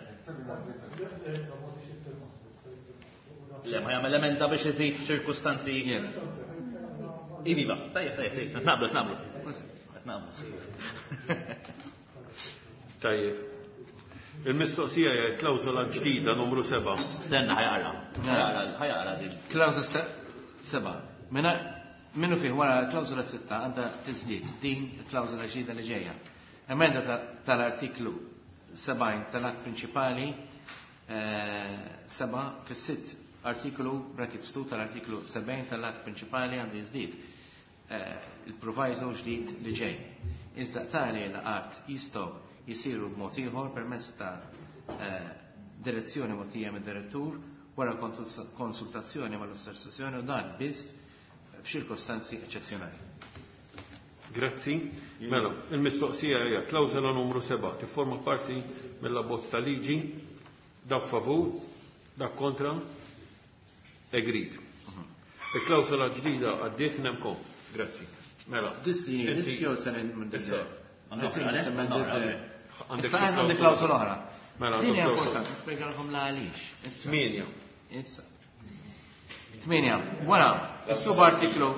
Le, ma jagħmel emenda biex iżid f'ċirkustanzi. Yes. Iviva, tajjeb, tajjeb, tajjeb. Naqblu, naqblu. Naqblu. Tajjeb. Il-mistoqsija hija klawsola ġdida numru seba'. Stenna, ħajaqra. Ħajaqra din. Klawsola seba'. Mela minnu fih wara l-klawsola sitta għandha tiżdied din il-klawsola ġdida li ġejja. Emenda tal-artiklu sebgħin tal-att prinċipali seba' fis-sitt artiklu brackets two tal-artiklu sebgħin tal-att prinċipali għandu jiżdied il-proviso ġdid li ġej. Iżda tali laqat jistgħu jisiru b'mod ieħor permezz ta' direzzjoni mogħtija mid-direttur wara konsultazzjoni mal-assoċjazzjoni u dan biss f'ċirkostanzi eċċezzjonali. Grazzi. Mela, il-mistoqsija hija klawsola numru seba' tifforma parti mill-abbozz ta' liġi, dak favur, dak kontra, agreed. Il-klawsola ġdida għaddiet nemkom. Grazzi. Mela. Issa għandi klawsola oħra. Mela, Din hija importanti, nispjegalkom la għaliex. Tminja. Issa. Tminja. Wara, is-subartiklu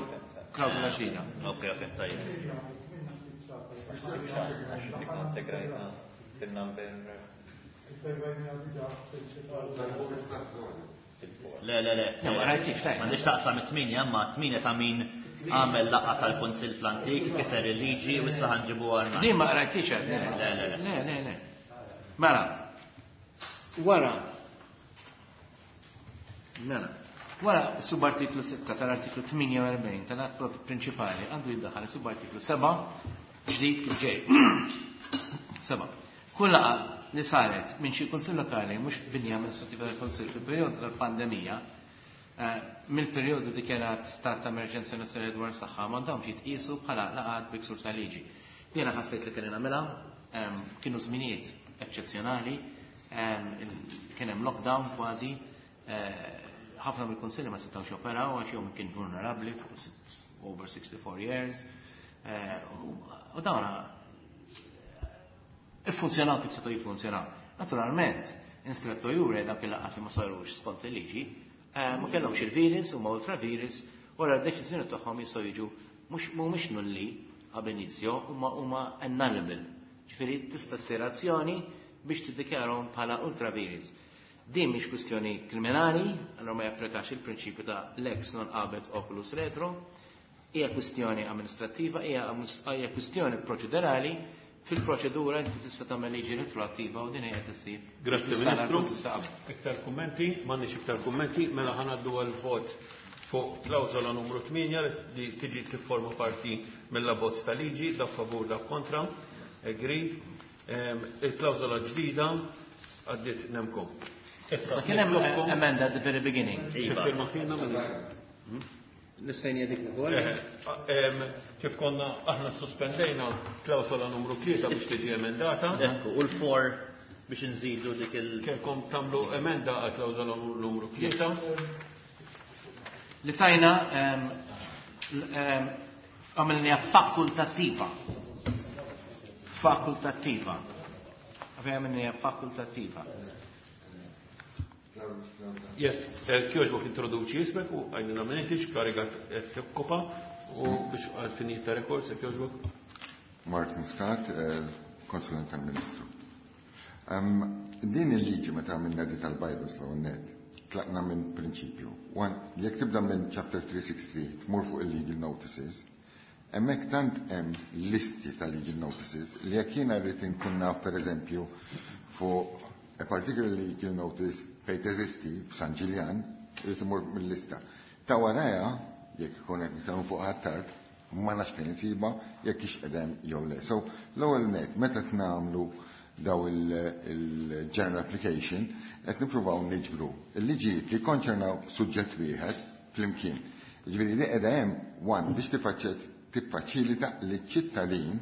klawsola ġdida. Ok, ok, tajjeb. Dik integrajta fil-number. Le, le, le. Ma rajtix, tajjeb. M'għandix taqsam it-tminja, imma t-tminja ta' min għamel laqgħa tal-Kunsill fl-antik, kiser il-liġi u issa ħanġibu għal. Din ma rajtix għad. Le, le, le. Le, le, le. Mela, wara. Mela. Wara subartiklu sitta tal-artiklu tmienja u erbgħin tal-att prinċipali għandu jiddaħħal subartiklu seba' ġdid kif ġej. Seba'. Kull laqgħa li saret minn xi kunsill lokali mhux binja amministrativa tal-Kunsill fil-perjodu tal-pandemija, mill-perjodu dikjarat stat ta' emerġenza nazzjonali dwar saħħa m'għandhomx jitqiesu bħala laqgħat bi ksur ta' liġi. Jiena ħassejt li kellna nagħmilha, kienu żminijiet eċċezzjonali, kien hemm lockdown kważi, ħafna mill-kunsilli ma setgħux joperaw għax jew kien vulnerabbli fuq over sixty-four years. U dawn iffunzjonaw kif setgħu jiffunzjonaw. Naturalment, instretto jure dak il-laqgħat li ma sarux skont il-liġi, ma kellhomx il-virus u ma ultravirus, wara d-deċiżjoni tagħhom jistgħu jiġu mhux mhumiex nulli ab inizio, huma huma annullable. Ġifieri tista' ssir azzjoni biex tiddikjarahom bħala ultra vires. Din mhix kwistjoni kriminali, allora ma japplikax il-prinċipju ta' lex non habet oculus retro, hija kwistjoni amministrattiva, hija hija kwistjoni proċedurali. Fil-proċedura inti tista' tagħmel liġi retroattiva u din hija tissir. Grazzi Ministru. Iktar kummenti, m'għandniex iktar kummenti, mela ħa ngħaddu għall-vot fuq klawżola numru tmienja li tiġi tifforma parti mill-abbozz ta' liġi, dak favur, dak kontra. Agreed. Il-klawżola ġdida għaddiet nemkom. Issa kien hemm emenda at the very beginning. Tiffirma fina, Ministru. Nista' ngħidik ukoll. Kif konna aħna sospendejna klawsola numru tlieta biex tiġi emendata. Ekku, u l-four biex nżidu dik il- Kelkom tagħmlu emenda għal klawsola numru tlieta. Li tajna għamilniha fakultattiva. Fakultattiva. Għamilniha fakultattiva. Yes, kjoġbok introduċi jismek u għajnina minn inti x'kariga tokkopa u biex għal-finit ta' rekord, se kjoġbok. Mark Muscat, konsulent tal-Ministru. Din il-liġi meta għamilna di tal-bylaws l-ewwel, tlaqna minn prinċipju. One, jekk tibda minn chapter three six three tmur fuq il-legal notices, hemmhekk tant hemm listi ta' legal notices li jekk jiena rrid inkun naf, pereżempju, fuq a particular legal notice fejn teżisti f'San Ġiljan, irid imur mill-lista. Ta' waraja, jekk ikun qed nitkellmu fuq Ħ'Attard, ma nafx fejn insiba jekk hix qedem jew le. So l-ewwel net, meta nagħmlu daw il-general application, qed nippruvaw niġbru il-liġijiet li konċernaw suġġett wieħed flimkien. Ġifieri li qiegħda hemm one biex tifaċċet tiffaċilita liċ-ċittadin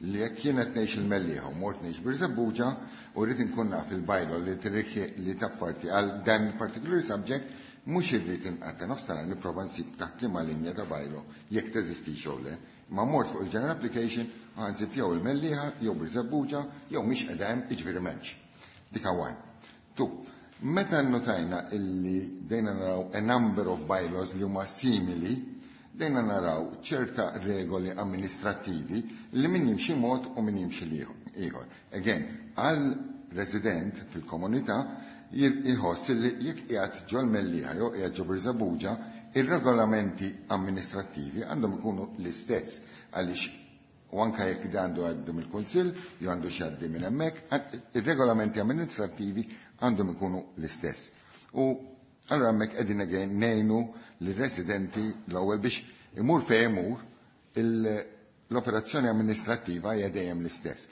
li jekk jien qed ngħix il-Mellieħa u mort ngħix Birżebbuġa u rrid inkun naf il-bylaw li tirrikje li tapparti għal dan particular subject, mhux irrid inqatta' nofs sena nipprova nsib taħt liema linja ta' bylaw jekk teżistix jew le. Ma mort fuq il-general application u nsib jew il-Mellieħa jew Birżebbuġa jew mhix qiegħda hemm, jiġifieri m'hemmx. Dik one. Two, meta nnotajna illi dejna naraw a number of bylaws li huma simili, dejna naraw ċerta regoli amministrativi li min jimxi mod u min jimxi ieħor. Again, għal resident fil-komunità jħoss li jekk qiegħed ġol Mellieħa jew qiegħed ġo Birżebbuġa, ir-regolamenti amministrativi għandhom ikunu l-istess, għaliex u anka jekk għandu għaddu mill-Kunsill jew għandu xi għaddi minn hemmhekk, ir-regolamenti amministrativi għandhom ikunu l-istess. U allora hemmhekk qegħdin again ngħinu lir-residenti l-ewwel biex imur fejn imur, l-operazzjoni amministrattiva hija dejjem l-istess.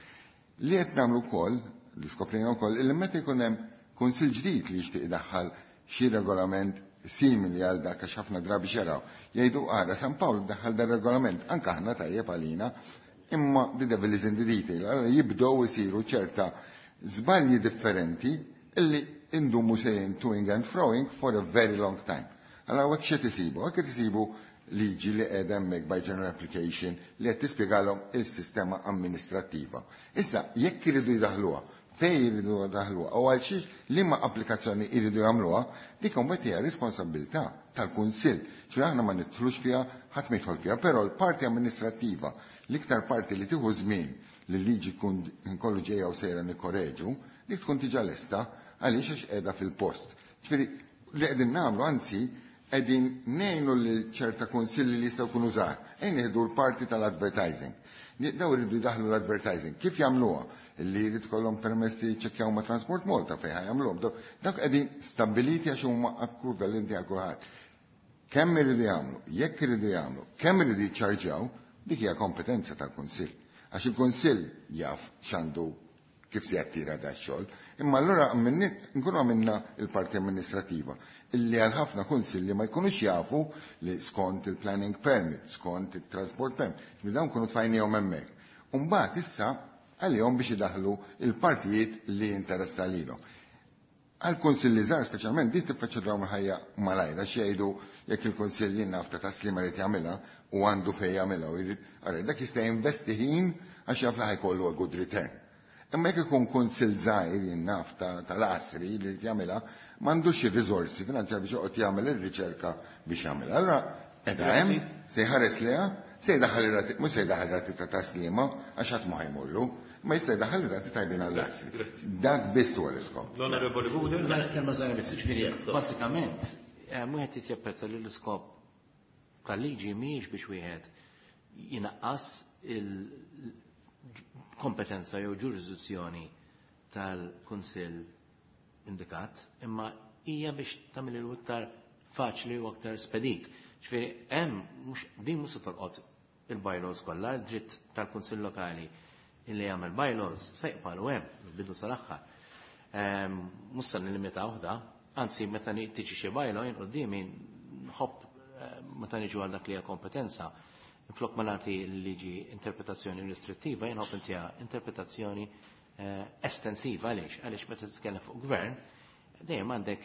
Li qed nagħmlu wkoll, li skoprejna wkoll, illi meta jkun hemm kunsill ġdid li jixtieq idaħħal xi regolament simili għal dak, għax ħafna drabi xeraw, jgħidu: "Ara San Pawl daħħal dar regolament, anke aħna tajjeb għalina," imma the devil is in the detail. Allora jibdew isiru ċerta żbalji differenti illi indumu sejrin toing and froing for a very long time. Allora hekk xi tisibu? Hekk tisibu liġi li qiegħda hemmhekk by general application li qed tispjegalhom il-sistema amministrattiva. Issa jekk iridu jdaħluha, fejn jridu jdaħluha u għal xiex, liema applikazzjoni jridu jagħmluha, dik imbagħad hija responsabilità tal-Kunsill. Ċe aħna ma nidħlux fiha, ħadd ma jidħol fiha, però l-parti amministrattiva, l-iktar parti li tieħu żmien li l-liġi tkun nkollu ġejja u sejra nikkoreġu, dik tkun diġà lesta għaliex għax qiegħda fil-post. Ġifieri li qegħdin nagħmlu, anzi qegħdin ngħinu lil ċerta kunsilli li jistgħu jkunu żgħar. Ejn nieħdu l-parti tal-advertising. Daw iridu jdaħlu l-advertising. Kif jagħmluha? Li jrid kollhom permessi, ċekkjaw ma' Transport Malta fejn jagħmluhom. Dawk qegħdin stabbiliti għax huma ekwivalenti għal kulħadd. Kemm iridu jagħmlu, jekk iridu jagħmlu, kemm iridu jiċċarġjaw, dik hija kompetenza tal-Kunsill. Għax il-Kunsill jaf x'għandu, kif se jattira da xogħol. Imma allura nkunu għamilna il-parti amministrativa illi għal ħafna kunsilli ma jkunux jafu li skont il-planning permit, skont il-transport permit, li dawn kunu tfajnihom hemmhekk. Umbagħad issa għalihom biex idaħlu il-partijiet li jinteressa lilhom. Għal kunsilli żgħar speċjalment din tiffaċilitaw ħajja malajra xi jgħidu jekk il-kunsill jien naf ta' Taslima jrid jagħmilha u għandu fejn jagħmilha u jrid, ara dak jista' jinvesti ħin għax jaf li ħa jkollu a good return. Imma jekk ikun kunsill żgħir, jien naf, tal-Għasri li jrid jagħmilha, m'għandux ir-riżorsi finanzjarji biex joqgħod jagħmel ir-riċerka biex jagħmilha. Allura qiegħda hemm, se jħares leha, se jdaħħal ir-rati, mhux se jdaħħal rati ta' Taslima għax ħadd ma ħajmurlu, Ma jista' jdaħħal rati tajbin għall-assi. Dak biss huwa l-iskop. L-Onorevoli Gouder. Mela kelma żgħira biss, ġifieri bażikament wieħed irid japprezza li l-iskop tal-liġi mhijiex biex wieħed jinaqqas il-kompetenza jew ġurisdizzjoni tal-Kunsill indikat, imma hija biex tagħmel il aktar faċli u aktar spedit. Ġifieri hemm mhux din mhux se tolqot il-bylaws kollha, dritt tal-Kunsill Lokali illi jagħmel bylaws se jqbalu hemm bidu sal-aħħar. Mhux se nillimitaw da, anzi meta tiġi xi bylaw jien quddiemi nħobb meta niġu għal dak li hija kompetenza, flok ma nagħti l-liġi interpretazzjoni restrittiva, jien nħobb intiha interpretazzjoni estensiva. Għaliex? Għaliex meta titkellem fuq gvern, dejjem għandek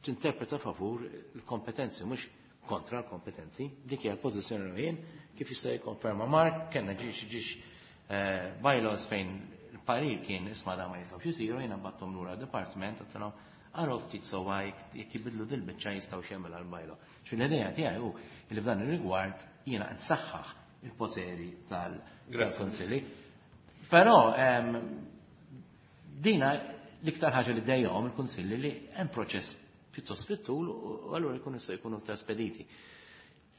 tinterpreta favur il-kompetenzi, mhux kontra l-kompetenzi. Dik hija l-pożizzjoni li jien kif jista' jikkonferma Mark, kellna ġiex ġiex bylaws fejn il-parir kien isma' da ma jistgħux isiru, jiena battom lura d-dipartiment għedtilhom araw ftit sewwa jekk jibidlu dil-biċċa jistgħu x'jagħmel għall-bylaw. Xi l-idea tiegħi hu li f'dan ir-rigward jiena nsaħħaħ il-poteri tal-kunsilli. Però dina l-iktar ħaġa li dejjahom il-kunsilli li hemm proċess pjuttost fit-tul u allura jkunu se jkunu aktar spediti.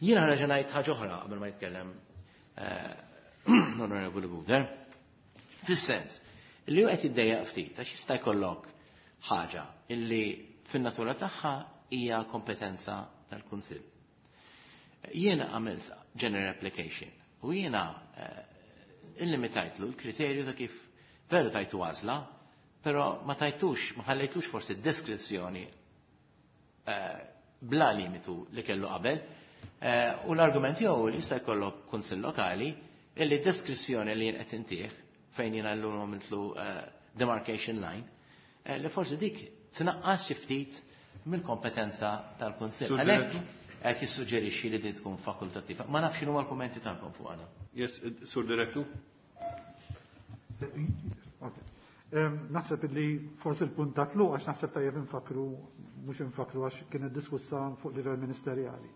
Jiena ħareġ ngħid ħaġa oħra qabel ma jitkellem l-Onorevoli Gouder. Fis-sens li hu qed jiddejjaq ftit għax jista' jkollok ħaġa illi fin-natura tagħha hija kompetenza tal-Kunsill. Jiena għamilt general application u jiena illimitajtlu l-kriterju ta' kif veru tajtu għażla, però ma tajtux, ma ħallejtux forsi deskrizzjoni bla limitu li kellu qabel. U l-argument jew li jista' jkollok kunsill lokali illi deskrizzjoni li jien qed intih fejn jiena llum għamiltlu demarcation line, li forsi dik tnaqqas xi ftit mill-kompetenza tal-kunsill. Għalhekk qed jissuġġerixxi li din tkun fakultattiva. Ma nafx x'inhu l-kummenti tagħkom fuq għadha. Yes, Sur Direttur. Naħseb li forsi l-punt ta' tluq għax naħseb tajjeb infakru, mhux infakru għax kienet diskussa fuq livell ministerjali.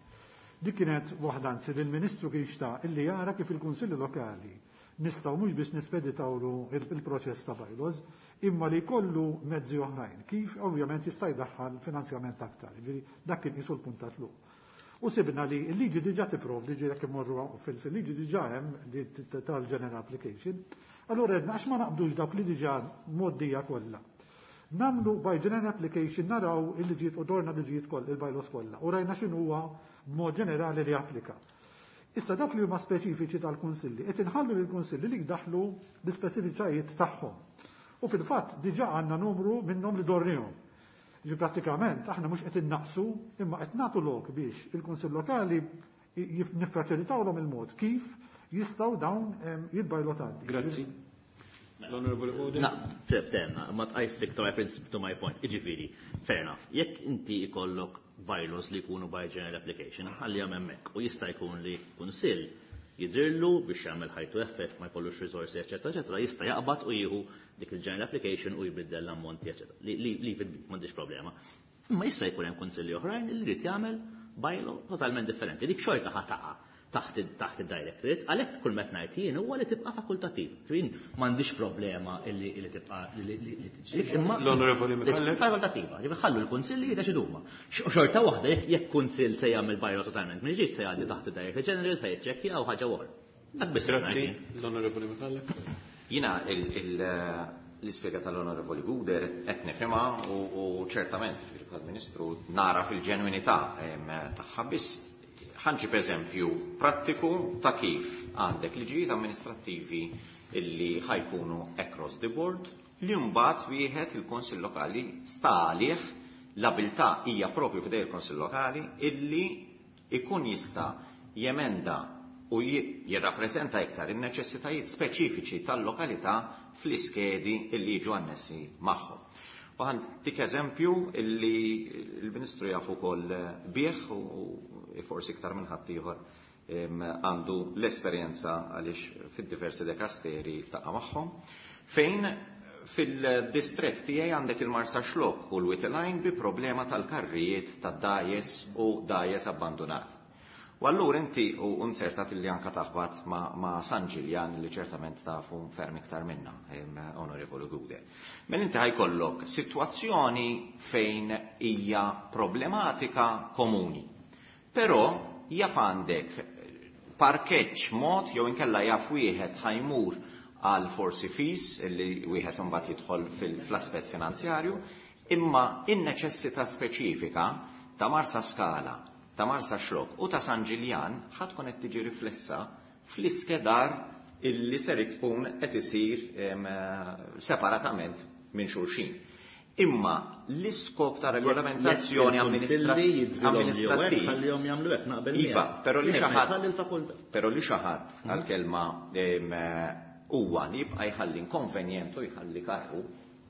Dik kienet waħda anzi li l-Ministru kien xtaq illi jara kif il-Kunsilli Lokali nistgħu mhux biex nispeditawlu il-proċess ta' bylaws, imma li jkollu mezzi oħrajn, kif ovvjament jista' jdaħħal finanzjament aktar. Ġifieri dak kien qisu l-punt ta' tluq. U sibna li l-liġi diġà tipprovdi, ġifieri jekk imorru fil-liġi diġà hemm tal-general application. Allura għedna għax ma naqbdux dawk li diġà moddija kollha. Namlu by general application naraw il-liġijiet u dorna liġijiet kollha, il-bylaws kollha, u rajna x'inhu b'mod ġenerali li applika. Issa dak li huma speċifiċi tal-kunsilli, qed inħallu lill-kunsilli li jdaħlu l-ispeċifiċajiet tagħhom. U fil-fatt diġà għandna numru minnhom li dornihom. Ġi prattikament aħna mhux qed innaqsu, imma qed nagħtu lok biex il-kunsill lokali niffaċilitawlhom il-mod kif jistgħu dawn jitbajlotati. Grazzi. L-Onorevoli Gouder. Na, tenna, ma I stick to my principle, to my point. Iġifieri, fair enough. Jekk inti ikollok bylaws li jkunu by general application, ħalli hemmhekk u jista' jkun li kunsill jidrillu biex jagħmel ħajtu effett ma jkollux risorsi, eċetera, eċetera, jista' jaqbad u jieħu dik il-general application u jbiddel l-ammonti, eċetera. Li li m'għandix problema. Imma jista' jkun hemm kunsilli oħrajn li jrid jagħmel bylaw totalment differenti. Dik xorta ħa taqa' taħt taħt id-directorate, għalhekk kull meta ngħid jien huwa li tibqa' fakultattiv. Jien m'għandix problema illi illi tibqa' li tiġi. Imma L-Onorevoli Micallef. Fakultattiva, ġifieri ħallu l-kunsilli jiddeċidu huma. Xorta waħda jekk kunsill se jagħmel bylaw totalment minn ġdid se jgħaddi taħt id-directorate general se jiċċekkja u ħaġa oħra. Dak biss. Grazzi, l-Onorevoli Micallef. Jiena l-ispjega tal-Onorevoli Gouder qed nifhimha u ċertament il-Ministru nara fil-ġenwinità tagħha, biss ħanġib eżempju prattiku ta' kif għandek liġijiet amministrattivi illi ħajkunu across the board li mbagħad wieħed il-Kunsill Lokali sta għalih l-abilità hija propju f'idej il-Kunsill Lokali illi ikun jista' jemenda u jirrappreżenta iktar in-neċessitajiet speċifiċi tal-lokalità fl-iskedi illi jiġu annessi magħhom. U ħantik eżempju illi l-Ministru jaf ukoll bih u forsi iktar minn ħaddieħor għandu l-esperjenza għaliex fid-diversi dekasteri ltaqa' magħhom, fejn fil-distrett tiegħi għandek il-Marsaxlokk u l-Wied il-Għajn bi problema tal-karrijiet tad-dajes u dajes abbandonati. U allura inti u nsertat li anka taħbat ma', ma San Ġiljan li ċertament tafu ferm iktar minna, Onorevoli Gude. Mela inti ħajkollok sitwazzjoni fejn hija problematika komuni. Però jaf għandek parkeġġ mod jew inkella jaf wieħed ħajmur għal forsi fees li wieħed imbagħad jidħol fl-aspett finanzjarju, imma in-neċessità speċifika ta' Marsaskala, ta' Marsaxlokk u ta' San Ġiljan ħa tkun qed tiġi riflessa fl-iskedar illi ser ikun qed isir separatament minn xulxin. Imma l-iskop ta' regolamentazzjoni amministrattiv ħallihom jagħmlu hekk naqbel. Iva, però li xi ħadd però li xi ħadd għall-kelma huwa li jibqa' jħalli inkonvenjent u jħalli karru,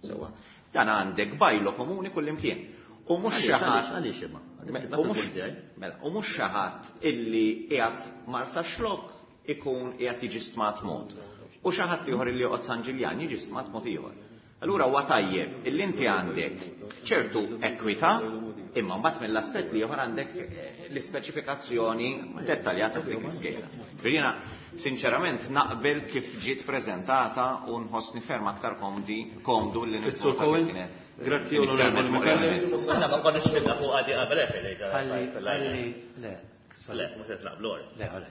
sewwa. Dan għandek bylaw komuni kullimkien. U mhux xi ħadd għaliex imma. Mela, u mhux xi ħadd illi qiegħed Marsaxlokk ikun qiegħed jiġi stmat mod. U xi ħadd ieħor illi joqgħod San Ġiljan jiġi stmat mod ieħor. Allura huwa tajjeb illi inti għandek ċertu ekwità, imma mbagħad mill-aspett li ieħor għandek l-ispeċifikazzjoni dettaljata f'dik l-iskeda. Jiena sinċerament naqbel kif ġiet preżentata u nħossni ferm aktar komdi komdu li nifhmu kienet. Grazzi Onorevoli Micallef. Aħna ma konniex fidna fuq għadi qabel Ħalli le. Le, mhux qed naqblu. Le, all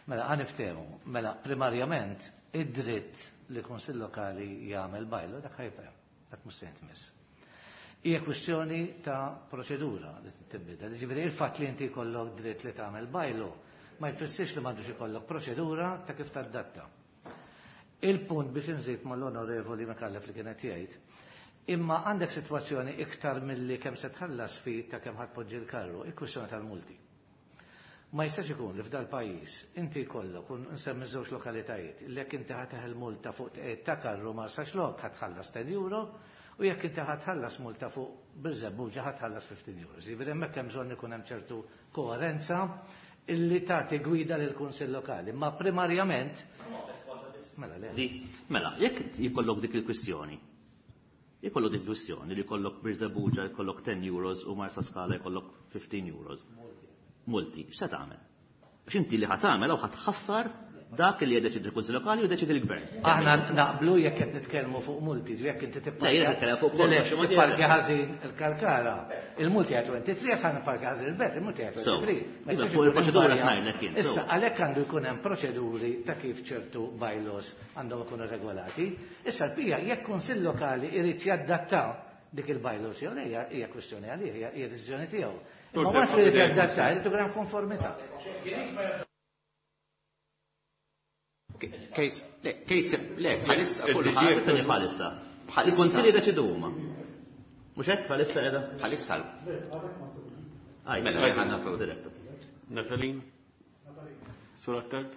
Mela ħa niftehmu. Mela primarjament id-dritt li kunsill lokali jagħmel bylaw dak ħajbqa', dak mhux se jintmiss. Hija kwistjoni ta' proċedura li tibdel. Ġifieri il-fatt li inti jkollok dritt li tagħmel bylaw ma jfissirx li m'għandux ikollok proċedura ta' kif tadatta. Il-punt biex inżid mal-Onorevoli Micallef li kienet jgħid, imma għandek sitwazzjoni iktar milli kemm se tħallas fi ta' kemm ħadpoġġi l-karru, il-kwistjoni tal-multi. Ma jistax ikun li f'dal pajjiż inti jkollok u nsemmi żewġ lokalitajiet, li jekk inti ħa multa fuq ta' karru Marsaxlokk ħatħallas ten euro u jekk inti ħatħallas multa fuq Birżebbuġa ħatħallas fifteen euro. Ġifieri hemmhekk hemm bżonn ikun hemm ċertu koerenza illi tagħti gwida lil kunsill lokali, ma primarjament mela le. Mela, jekk jkollok dik il-kwistjoni, jkollok dik il-kwistjoni li jkollok Birżebbuġa jkollok ten euros u Marsaskala jkollok fifteen euros. Multi, x'se tagħmel? Biex inti li ħa tagħmel hawn ħa tħassar dak li jiddeċidi il-Kunsill Lokali u jiddeċidi l-Gvern. Aħna naqblu jekk qed nitkellmu fuq multi, jekk inti tipparkja ħażin il-Kalkara, il-multi għal twenty-three, jekk ħa ħażin il-Belt, il-multi għal twenty-three. Fuq il-proċedura qed ngħidlek jien. Issa għalhekk għandu jkun hemm proċeduri ta' kif ċertu bylaws għandhom ikunu regolati. Issa l-pija jekk Kunsill Lokali irid jadatta dik il-bylaws jew le hija kwistjoni għalih, hija deċiżjoni tiegħu. Ma once li jadatta, irid ikun hemm konformità. Case, le, case, le, bħalissa kulħadd bħalissa. Il-Kunsilli jiddeċidu huma. Mhux hekk bħalissa qiegħda? Bħalissa. Mela ħanna fuq diretta. Natalin? Sur Attard?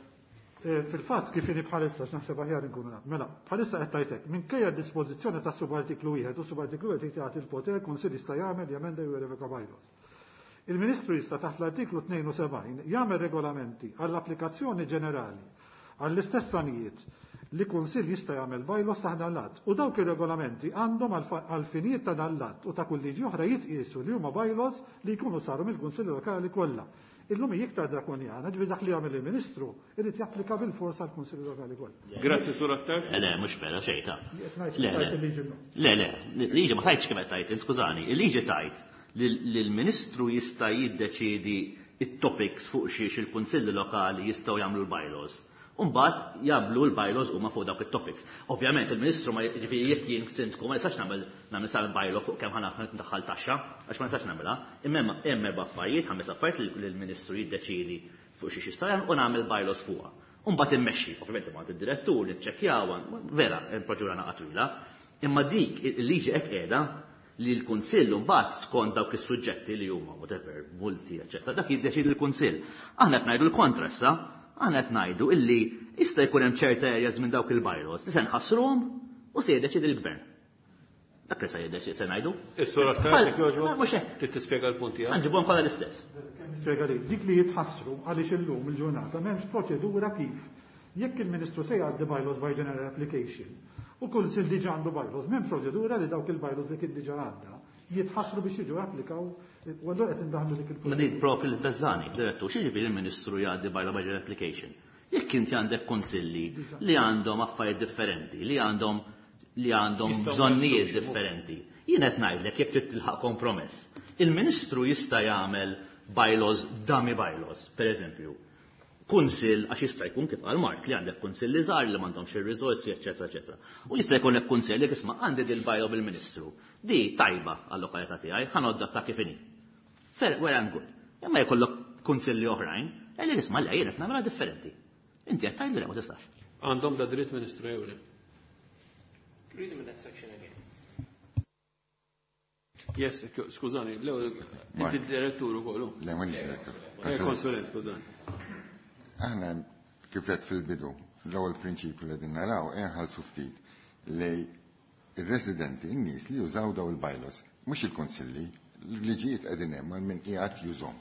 Fil-fatt kif inhi bħalissa x'naħseb aħjar inkunu naf. Mela, bħalissa qed tajtek minkejja d-dispożizzjoni ta' subartiklu wieħed u subartiklu wieħed jagħti l-poter kunsill jista' jagħmel jemenda jew jirrevoka bylaws. Il-Ministru jista' taħt l-artiklu tnejn u sebgħin jagħmel regolamenti għall-applikazzjoni ġenerali għall-istess għanijiet li kunsill jista' jagħmel bylaws taħt dan l-att u dawk ir-regolamenti għandhom għal finijiet ta' dan l-att u ta' kull liġi oħra jitqiesu li huma bylaws li jkunu saru mill-Kunsill Lokali kollha. Illum hija iktar drakonjana, ġifieri dak li jagħmel il-Ministru irid japplika bil-forsa għall-Kunsill Lokali kollha. Grazzi Sur Attard. Le, mhux vera xejn ta'. Le, le, liġi ma tajtx kemm qed tajt, skużani, il-liġi tajt li l-Ministru jista' jiddeċiedi it-topics fuq xiex il-Kunsilli Lokali jistgħu jagħmlu l-bylaws. Umbagħad jagħmlu l-bylaws huma fuq dawk it-topics. Ovvjament il-Ministru ma jiġifieri jekk jien sindku ma nistax nagħmel nagħmel sal bylaw fuq kemm ħa ndaħħal taxxa, għax ma nistax nagħmilha. Imma hemm erba' affarijiet, ħames affarijiet li l-Ministru jiddeċiedi fuq xiex jista' jagħmel u nagħmel bylaws fuqha. Umbagħad immexxi, ovvjament imma id-direttur niċċekkjaw, vera il-proċedura naqa' twila, imma dik il-liġi hekk qiegħda li l-Kunsill mbagħad skont dawk is-suġġetti li huma whatever, multi, eċċetera, dak jiddeċiedi l-Kunsill. Aħna qed ngħidu l-kontra issa, aħna qed ngħidu illi jista' jkun hemm ċerta areas minn dawk il-bylaws li se nħassruhom u se jiddeċiedi l-Gvern. Dak li se jiddeċiedi se ngħidu. Is-sura tagħek jogħġbok? Trid tispjega l-punt tiegħek. Nġibuhom kollha l-istess. Nispjega li dik li jitħassru għaliex illum il-ġurnata m'hemmx proċedura kif jekk il-Ministru se jgħaddi bylaws by general application u kull sil diġà għandu bylaws, m'hemm proċedura li dawk il-bylaws li kien diġà għadda jitħassru biex jiġu applikaw u allura qed indaħlu dik il Ma din propri l-beżani, direttur, x'jiġifieri il-Ministru jgħaddi bylaw by general application. Jekk inti għandek konsilli li għandhom affarijiet differenti, li għandhom li għandhom bżonnijiet differenti. Jien qed ngħidlek jekk trid tilħaq kompromess. Il-Ministru jista' jagħmel bylaws, dummy bylaws, per eżempju. Kunsill, għax jista' jkun kif qal Mark li għandek kunsilli żgħar li m'għandhomx ir-riżorsi, eċetera, eċetera. U jista' jkollek kunsill li isma' għandi dil bylaw bil-Ministru. Di tajba għal-lokalità tiegħi, ħa nadatta kif inhi. Fair, well and good. Imma jkollok kunsilli oħrajn, li isma' le jien qed nagħmilha differenti. Inti qed tgħidli le ma tistax. Għandhom da dritt Ministru jew le? Read me that section again. Yes, skużani, l-ewwel inti direttur ukoll. Le, mhux direttur. Eh, konsulent, skużani. Aħna kif qed fil-bidu, l-ewwel prinċipju li qegħdin naraw inħallsu ftit li ir-residenti, in-nies li jużaw daw il-bylaws, mhux il-konsilli, l-liġijiet qegħdin hemm għal min qiegħed jużhom.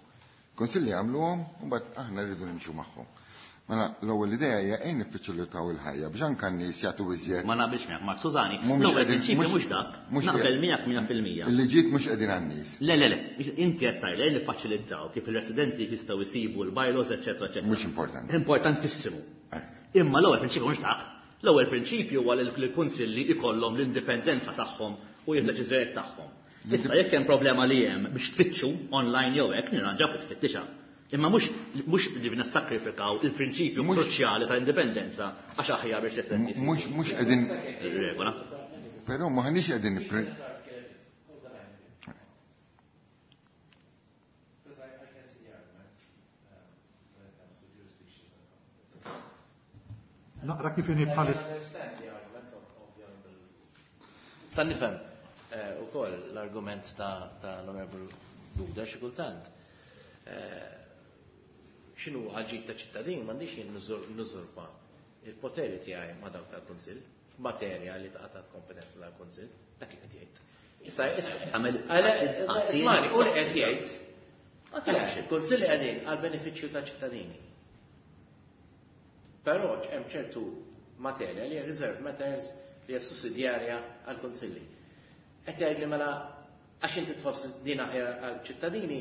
Konsilli għamluhom u mbagħad aħna rridu nimxu magħhom. Mela l-ewwel idea hija ejn niffaċilitaw il-ħajja biex anke n-nies jagħtu iżjed. Ma naqbilx miegħek, Mark, skużani, Mhumiex l-ewwel qegħdin- prinċipju mhux- mhux dak, mhux naqbel qegħdin- miegħek mija fil-mija. Il-liġijiet mhux qegħdin għan-nies. Le, le, le, inti qed tgħid li niffaċilitaw kif il-residenti jistgħu jsibu l-bylaws, eċetera, eċetera. Mhux importanti. Importantissimu. Eh. Imma l-ewwel prinċipju mhux dak. L-ewwel prinċipju huwa li l-kunsilli ikollhom l-indipendenza tagħhom u jieħdu deċiżjonijiet tagħhom. Issa jekk hemm problema li hemm biex tfittxu online jew hekk nirranġaw u tfittixha. Imma mhux mhux li nissakrifikaw il-prinċipju Mhux- kruċjali tal-indipendenza għax aħjar biex l-esenti Mhux mhux qegħdin regola. però m'aħniex qegħdin nippre- Because I, I can see the argument um, when it comes to jurisdictions and competence. Naqra kif inhi bħalis. I understand the argument of, of the honorable. Sa nifhem eh, ukoll l-argument ta' ta' l-Honorable Duda xi kultant. Eh, X'inhu għal-ġid ta' ċittadin m'għandix jien nużurpa il-poteri tiegħi ma' dawk tal-Kunsill f'materja li taqa' taħt kompetenza tal-Kunsill, dak li qed jgħid. Issa issa Għamel- Għale- Ismani, u li qed jgħid. Għax il-Kunsill qegħdin għal benefiċċju ta' ċittadini. Però hemm ċertu materja li hija reserved matters li hija sussidjarja għal kunsilli. Qed jgħid li mela għax inti tħoss din aħjar għal ċittadini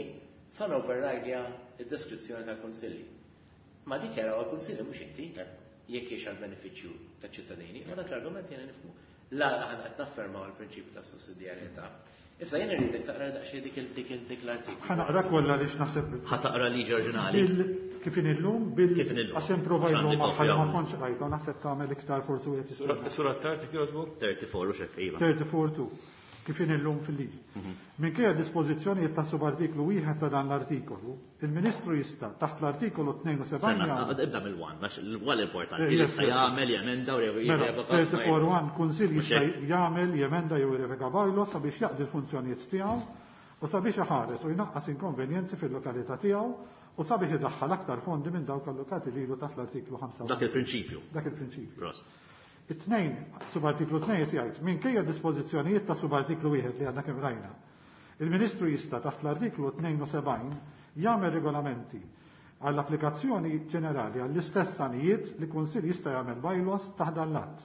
sa override id-deskrizzjoni tal-kunsilli. Ma dik jaraw għal-kunsilli mhux inti jekk hiex għal benefiċċju taċ-ċittadini, ma dak l-argument jiena nifhmu. La aħna qed naffermaw il-prinċipju ta' sussidjarjetà. Issa jien irridek taqra daqsxejn dik il- dik il- dik l-artiklu. Ħa naqra kollha għaliex naħseb Ħa taqra liġi oriġinali. bil kif inhi llum bil Kif inhi llum. għax hemm proviso Għandi magħha kopja li ma hawn. kontx rajta u naħseb tagħmel iktar forsi wieħed jista' Sura tard jogħġbok? tlettax u xek, iva. tlettax two kif inhi llum fil-liġi. Minkejja dispożizzjonijiet ta' subartiklu wieħed ta' dan l-artikolu, il-Ministru jista' taħt l-artikolu tnejn u sebgħin Senna, jagħmel ibda mill-one, għax l-one importanti. Eh, yes, Jista' yes. jagħmel, jemenda u Mela, jirrevoka. tlettax one kunsill Mhux jista' hekk. jagħmel, jemenda jew jirrevoka bylaw sabiex jaqdi l-funzjonijiet tiegħu u sabiex iħares u jnaqqas inkonvenjenzi fil-lokalità tiegħu u sabiex idaħħal aktar fondi minn dawk allokati lilu taħt l-artiklu ħamsa. Dak il-prinċipju. Dak il-prinċipju. Ross. It-tnejn, subartiklu tnejn qed jgħid, minkejja dispożizzjonijiet ta' subartiklu wieħed li għadna kemm rajna. Il-Ministru jista' taħt l-artiklu tnejn u sebgħin jagħmel regolamenti għall-applikazzjoni ġenerali għall-istess għanijiet li kunsill jista' jagħmel bylaws taħt dan l-att.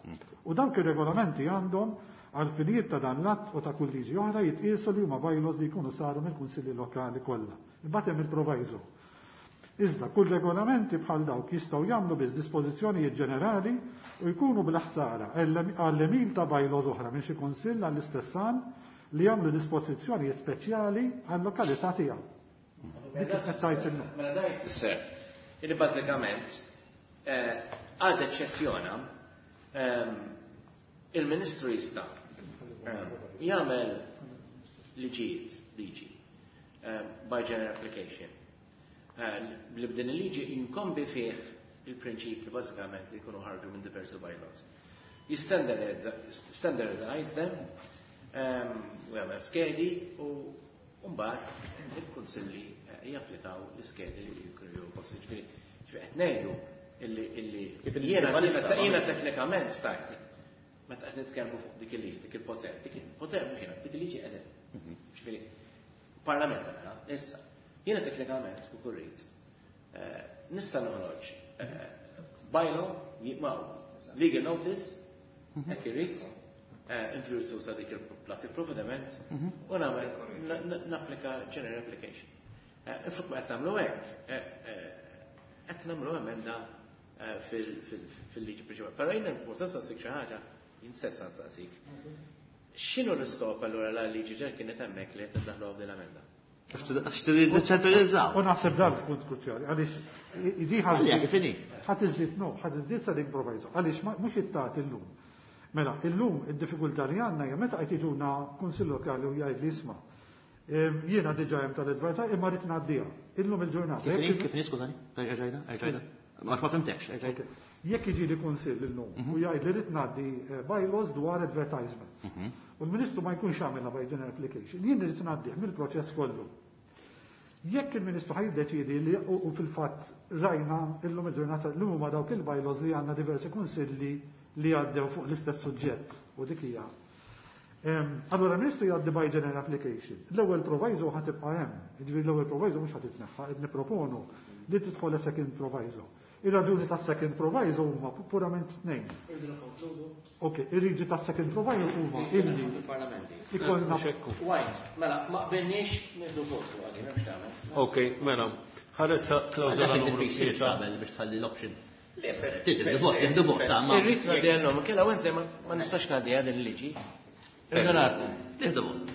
U dawk ir-regolamenti għandhom għal finijiet ta' dan l-att u ta' kull liġi oħra jitqiesu li huma bylaws li jkunu saru mill-kunsilli lokali kollha. Imbagħad hemm il-proviso. Iżda kull regolamenti bħal dawk jistgħu jagħmlu biss dispożizzjonijiet ġenerali u jkunu bla ħsara għall-emil ta' bylaws oħra minn xi kunsill għall-istess għan li jagħmlu dispożizzjonijiet speċjali għall-lokalità tiegħu. Dik qed tgħid illum. Mela dan jfisser li bażikament eh, għad eċċezzjona ehm, il-Ministru jista' ehm, jagħmel liġijiet, liġi, ehm, by general application. Eh, li b'din il-liġi jinkombi fih il-prinċipji bażikament li jkunu ħarġu minn diversi bylaws. Jistandardize them, ehm, u jagħmel skedi u mbagħad il-kunsilli eh, japplikaw l-iskedi li jkunu ġew posti. Ġifieri, ġifieri qed ngħidu illi illi Kif il-liġi jiena bħalissa, jiena ma- teknikament stajt meta qed nitkellmu fuq dik il-liġi, dik il-poter, dik il-poter mhux jiena, dik il-liġi qegħdin. Ġifieri, parlament għamela, issa, jiena teknikament u kurrit, eh, nista' noħroġ eh, bylaw, jibmaw, legal notice, hekk irrid, in virtù ta' dik il-provvediment u nagħmel napplika general application. Inflok ma qed nagħmlu hekk, qed nagħmlu emenda fil-liġi prinċipali. Però jien importanza nsaqsik xi ħaġa, jien stess nsaqsik. X'inhu l-iskop allura la liġi ġen kienet hemmhekk li qed niddaħlu din l-emenda? Għax trid ċentralizzaw. U naħseb dan punt kruċjali, għaliex di ħadd iżdied no, ħadd iżdied sa dik proviso, għaliex mhux ittat illum. Mela, illum id-diffikultà li għandna hija meta qed jiġuna kunsill lokali u jgħid li isma' jiena diġà hemm tal-advertaj imma rrid ngħaddiha. Illum il-ġurnata. Kif niskużani? Erġajda, erġajda. Ma fimtekx, erġajda. Jekk jiġi li kunsill illum u jgħid li rrid ngħaddi bylaws dwar advertisements. U l-Ministru ma jkunx għamilha by general application, jien irid ngħaddih mill-proċess kollu. Jekk il-Ministru ħaj jiddeċiedi li u fil-fatt rajna illum il-ġurnata llum huma dawk il-bylaws li għandna diversi kunsilli li għaddew fuq l-istess suġġett u dik hija. Allora il-Ministru jgħaddi by general application. L-ewwel proviso ħa tibqa' hemm, jiġifieri l-ewwel proviso mhux ħa titneħħa, qed nipproponu li tidħol second proviso. Ir-raġuni tas second proviso huma purament tnejn. Ok, ir-riġi tas second proviso huma illi ikollna. Wajn, mela, ma qbilniex nieħdu votu għalli, m'hemmx tagħmel. Ok, mela, ħaressa klawżola numru tlieta biex tħalli l-option. Tiddi vot, vot, ta' ma. Irrid ngħaddiha llum, kella Wednesday ma nistax ngħaddiha din il-liġi. Irridu ngħaddu. Tieħdu vot.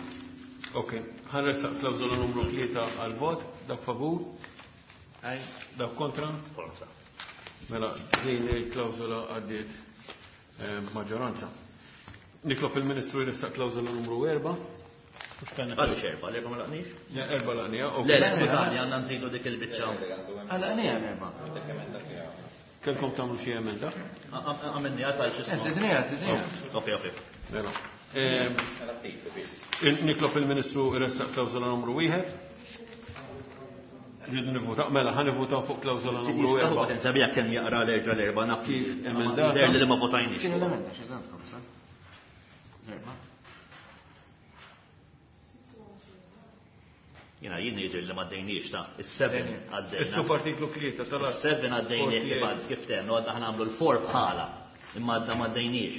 Ok, ħaressa klawżola numru tlieta għal vot, dak favur? Dak kontra? Kontra. Mela, din il-klawżola għaddiet maġġoranza. Nitlob il-Ministru jressaq klawżola numru erba'. Għaliex erba', l-erba' ma laqniex? Le, erba' laqnija. Le, le, skużani, għandna nżidu dik il-biċċa. Għalaqnija l-erba'. Kelkom tagħmlu xi emenda? Għamilni għal xi ismu. Żidnija, żidnija. Ok, ok. Mela. Nitlob il-Ministru jressaq klawżola numru wieħed. Rridu nivvutaw, mela, ħa nivvutaw fuq klawżola numru erba'. Nsabiha kemm jaqra l-erġa' l-erba' naf kif emendata. Jidher li ma votajniex. X'inhu l-emenda xi għandkom sa? L-erba'. Jiena jien jidher li ma għaddejniex ta' is-seven għaddejna. Is-subartiklu tlieta tal Is-seven għaddejnieh kif għad kif tennu għadna ħa nagħmlu l-four bħala imma għadna ma għaddejniex.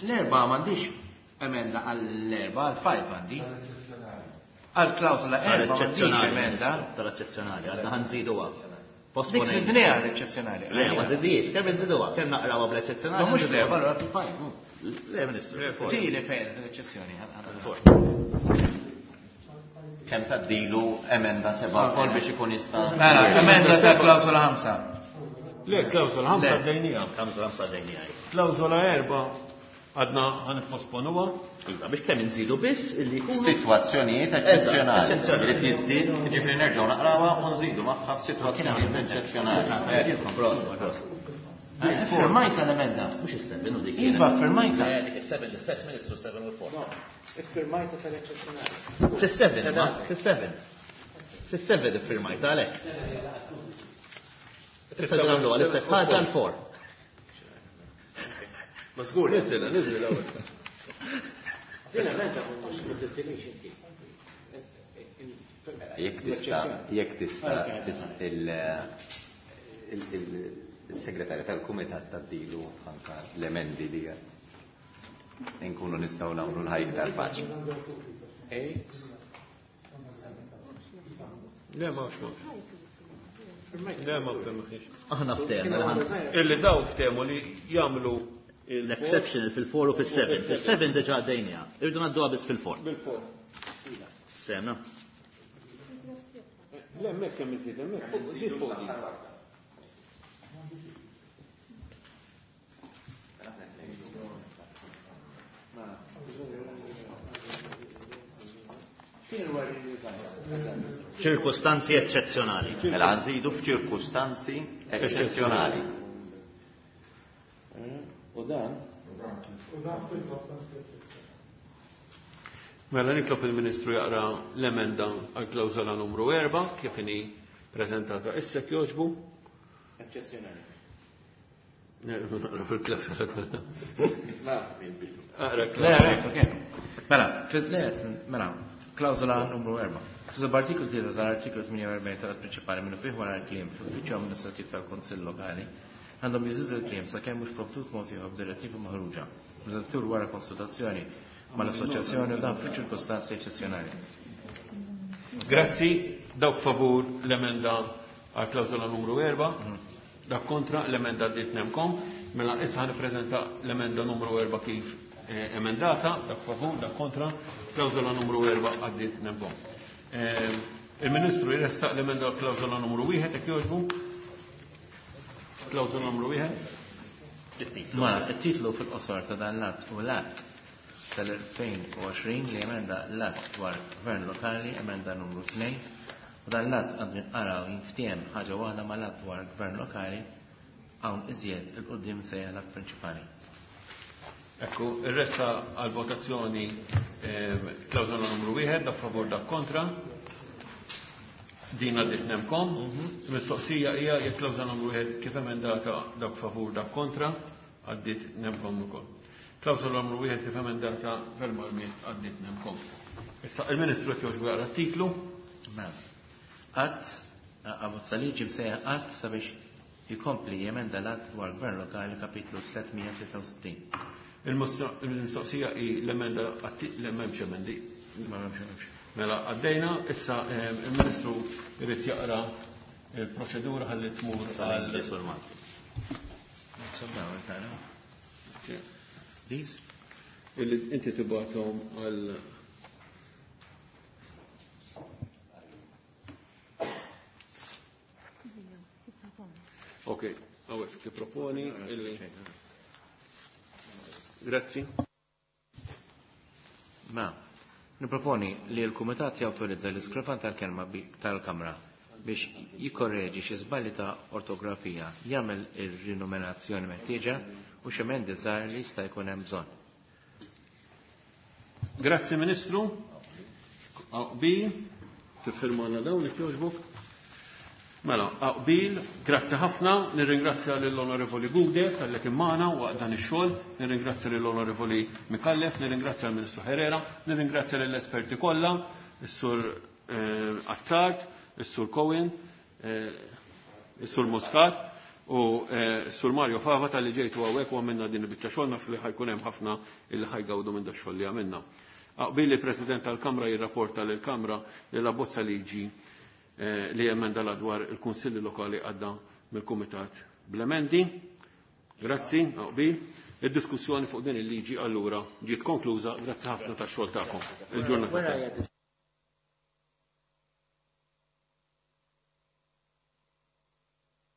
L-erba' m'għandix emenda għall-erba' għall-five għandi. Għal-klawsola erba' m'għandix emenda. Tal-eċċezzjonali, għadna ħa nżiduha. Dik zidniha l-eċċezzjonali. Le, ma zidniex, kemm inżiduha, kemm naqrawha bl-eċċezzjonali. Ma mhux l-erba', allura fil-five. Le, Ministru. Ġieli fejn l-eċċezzjoni. Kemm tgħaddilu emenda seba' wkoll biex ikun jista' Mela, emenda ta' klawsola ħamsa. Le, klawsola ħamsa għaddejniha. Klawsola ħamsa għaddejniha. Klawsola erba' għadna ħa nipposponuha. Iva, biex kemm inżidu biss illi jkunu sitwazzjonijiet eċċezzjonali. Eċċezzjonali. Irid jiżdied, jiġifieri nerġgħu naqrawha u nżidu magħha f'sitwazzjonijiet eċċezzjonali. Proset, proset. Firmajta l-emenda. Mhux is-seven u dik. Iva, firmajta. Le, dik is-seven l-istess Ministru seven u l-four. Iffirmajta tal-eċċezzjonali. Fis-seven, ma? Fis-seven. Fis-seven iffirmajta għalhekk. Issa nagħmlu l-istess ħaġa l-four. Ma żgur. Niżilha, niżilha ewwel. Din emenda mhux ma tiltilix inti. Jekk tista', jekk tista' il-segretarja tal-kumitat tgħaddilu anka l-emendi li nkunu nistgħu nagħmlu l-ħajja iktar faċli. Le, ma mhux. Le, ma ftehmux. Aħna ftehmna. Illi daw ftehmu li jagħmlu l-exceptional fil-four u fil-seven. Fil-seven diġà għaddejniha. Irridu ngħadduha biss fil-four. Bil-four. Semna. Le, hemmhekk hemm iżid, hemmhekk fuq żid fuq din. Ċirkustanzi eċċezzjonali. Mela nżidu f'ċirkustanzi eċċezzjonali. U dan? Mela nitlob il-Ministru jaqra l-emenda għal klawżola numru erba' kif inhi preżentata issa jogħġbu. Eċċezzjonali. Naqra fil-klawżola kollha. Aqra Le, klawżola. le, ok. Mela, fiż le, mela, klawżola numru erba'. Fis-subartiklu tlieta tal-artiklu tmienja u erbgħin tal-att prinċipali minnu fih wara l-kliem fl-uffiċċju amministrattiv tal-Kunsill Lokali għandhom jiżidu l-kliem sakemm mhux provdut mod ieħor b'direttiva maħruġa Direttur wara konsultazzjoni mal-assoċjazzjoni u dan f'ċirkostanzi eċċezzjonali. Grazzi, dawk favur l-emenda għal klawżola numru erba', dak kontra l-emenda għaddiet nemkom, mela issa ħa nippreżenta l-emenda numru erba' kif eh, emendata, dak favur, dak kontra, klawżola numru erba' għaddiet nemkom. Eh, Il-Ministru jressaq l-emenda għal klawżola numru wieħed, jekk jogħġbu. Klawżola numru wieħed. Mela, it-titlu fil-qosor ta' dan l-att u l-att tal-elfejn u għoxrin li emenda l-att dwar gvern lokali, emenda numru tnejn, u dan l-att għandu jinqara u jinftiehem ħaġa waħda mal-att dwar gvern lokali hawn iżjed il-qudiem sejjaħ l-att prinċipali. Ekku, ir-ressa għal-votazzjoni klawżola numru wieħed, dak favur, dak kontra. Din għaddiet nemkom. Mistoqsija hija jekk klawżola numru wieħed kif emendata dak favur, dak kontra, għaddiet nemkom ukoll. Klawżola numru wieħed kif emendata verbalment għaddiet nemkom. Issa il-Ministru qed jogħġbu jaqra t-titlu. Mela. Att, abbozza liġi msejjaħ att sabiex jkompli jemenda l-att dwar gvern lokali kapitlu tliet mija tlieta u sittin. Il-mistoqsija hi l-emenda għatti, le m'hemmx emendi. Ma m'hemmx, m'hemmx. Mela għaddejna, issa, eh, il-Ministru jrid jaqra il-proċedura ħalli tmur għal These? Illi inti tibgħathom għal Ok, għawek, tipproponi illi. Grazzi. Ma, niproponi li l-Kumitat jawtorizza l-iskrifan tal-kelma tal-Kamra biex jikorreġi xi żbalji ta' ortografija, jagħmel ir-rinumerazzjoni meħtieġa u xi emendi żgħar li jista' jkun hemm bżonn. Grazzi Ministru. Qbil, tiffirmana dawn jekk jogħġbok. Mela, qbil, grazzi ħafna, nirringrazzja lill-Onorevoli Gouder talli kien magħna waqt dan ix-xogħol, nirringrazzja lill-Onorevoli Micallef, nirringrazzja lill-Ministru Herrera, nirringrazzja lill-esperti kollha, is-Sur eh, Attard, is-Sur Cohen, eh, is-Sur Muscat u eh, s-Sur Mario Fava talli ġejtu hawnhekk u għamilna din il-biċċa xogħol, naf li ħa jkun hemm ħafna illi ħa jgawdu minn dax-xogħol li għamilna. Qbil li President tal-Kamra jirrapporta lill-Kamra li la bozza liġi eh, li emenda la dwar il-Kunsilli Lokali għadda mill-Kumitat bl-emendi. Grazzi, qbil. Id-diskussjoni fuq din il-liġi allura ġiet konkluża. Grazzi ħafna tax-xogħol tagħkom. Il-ġurnata.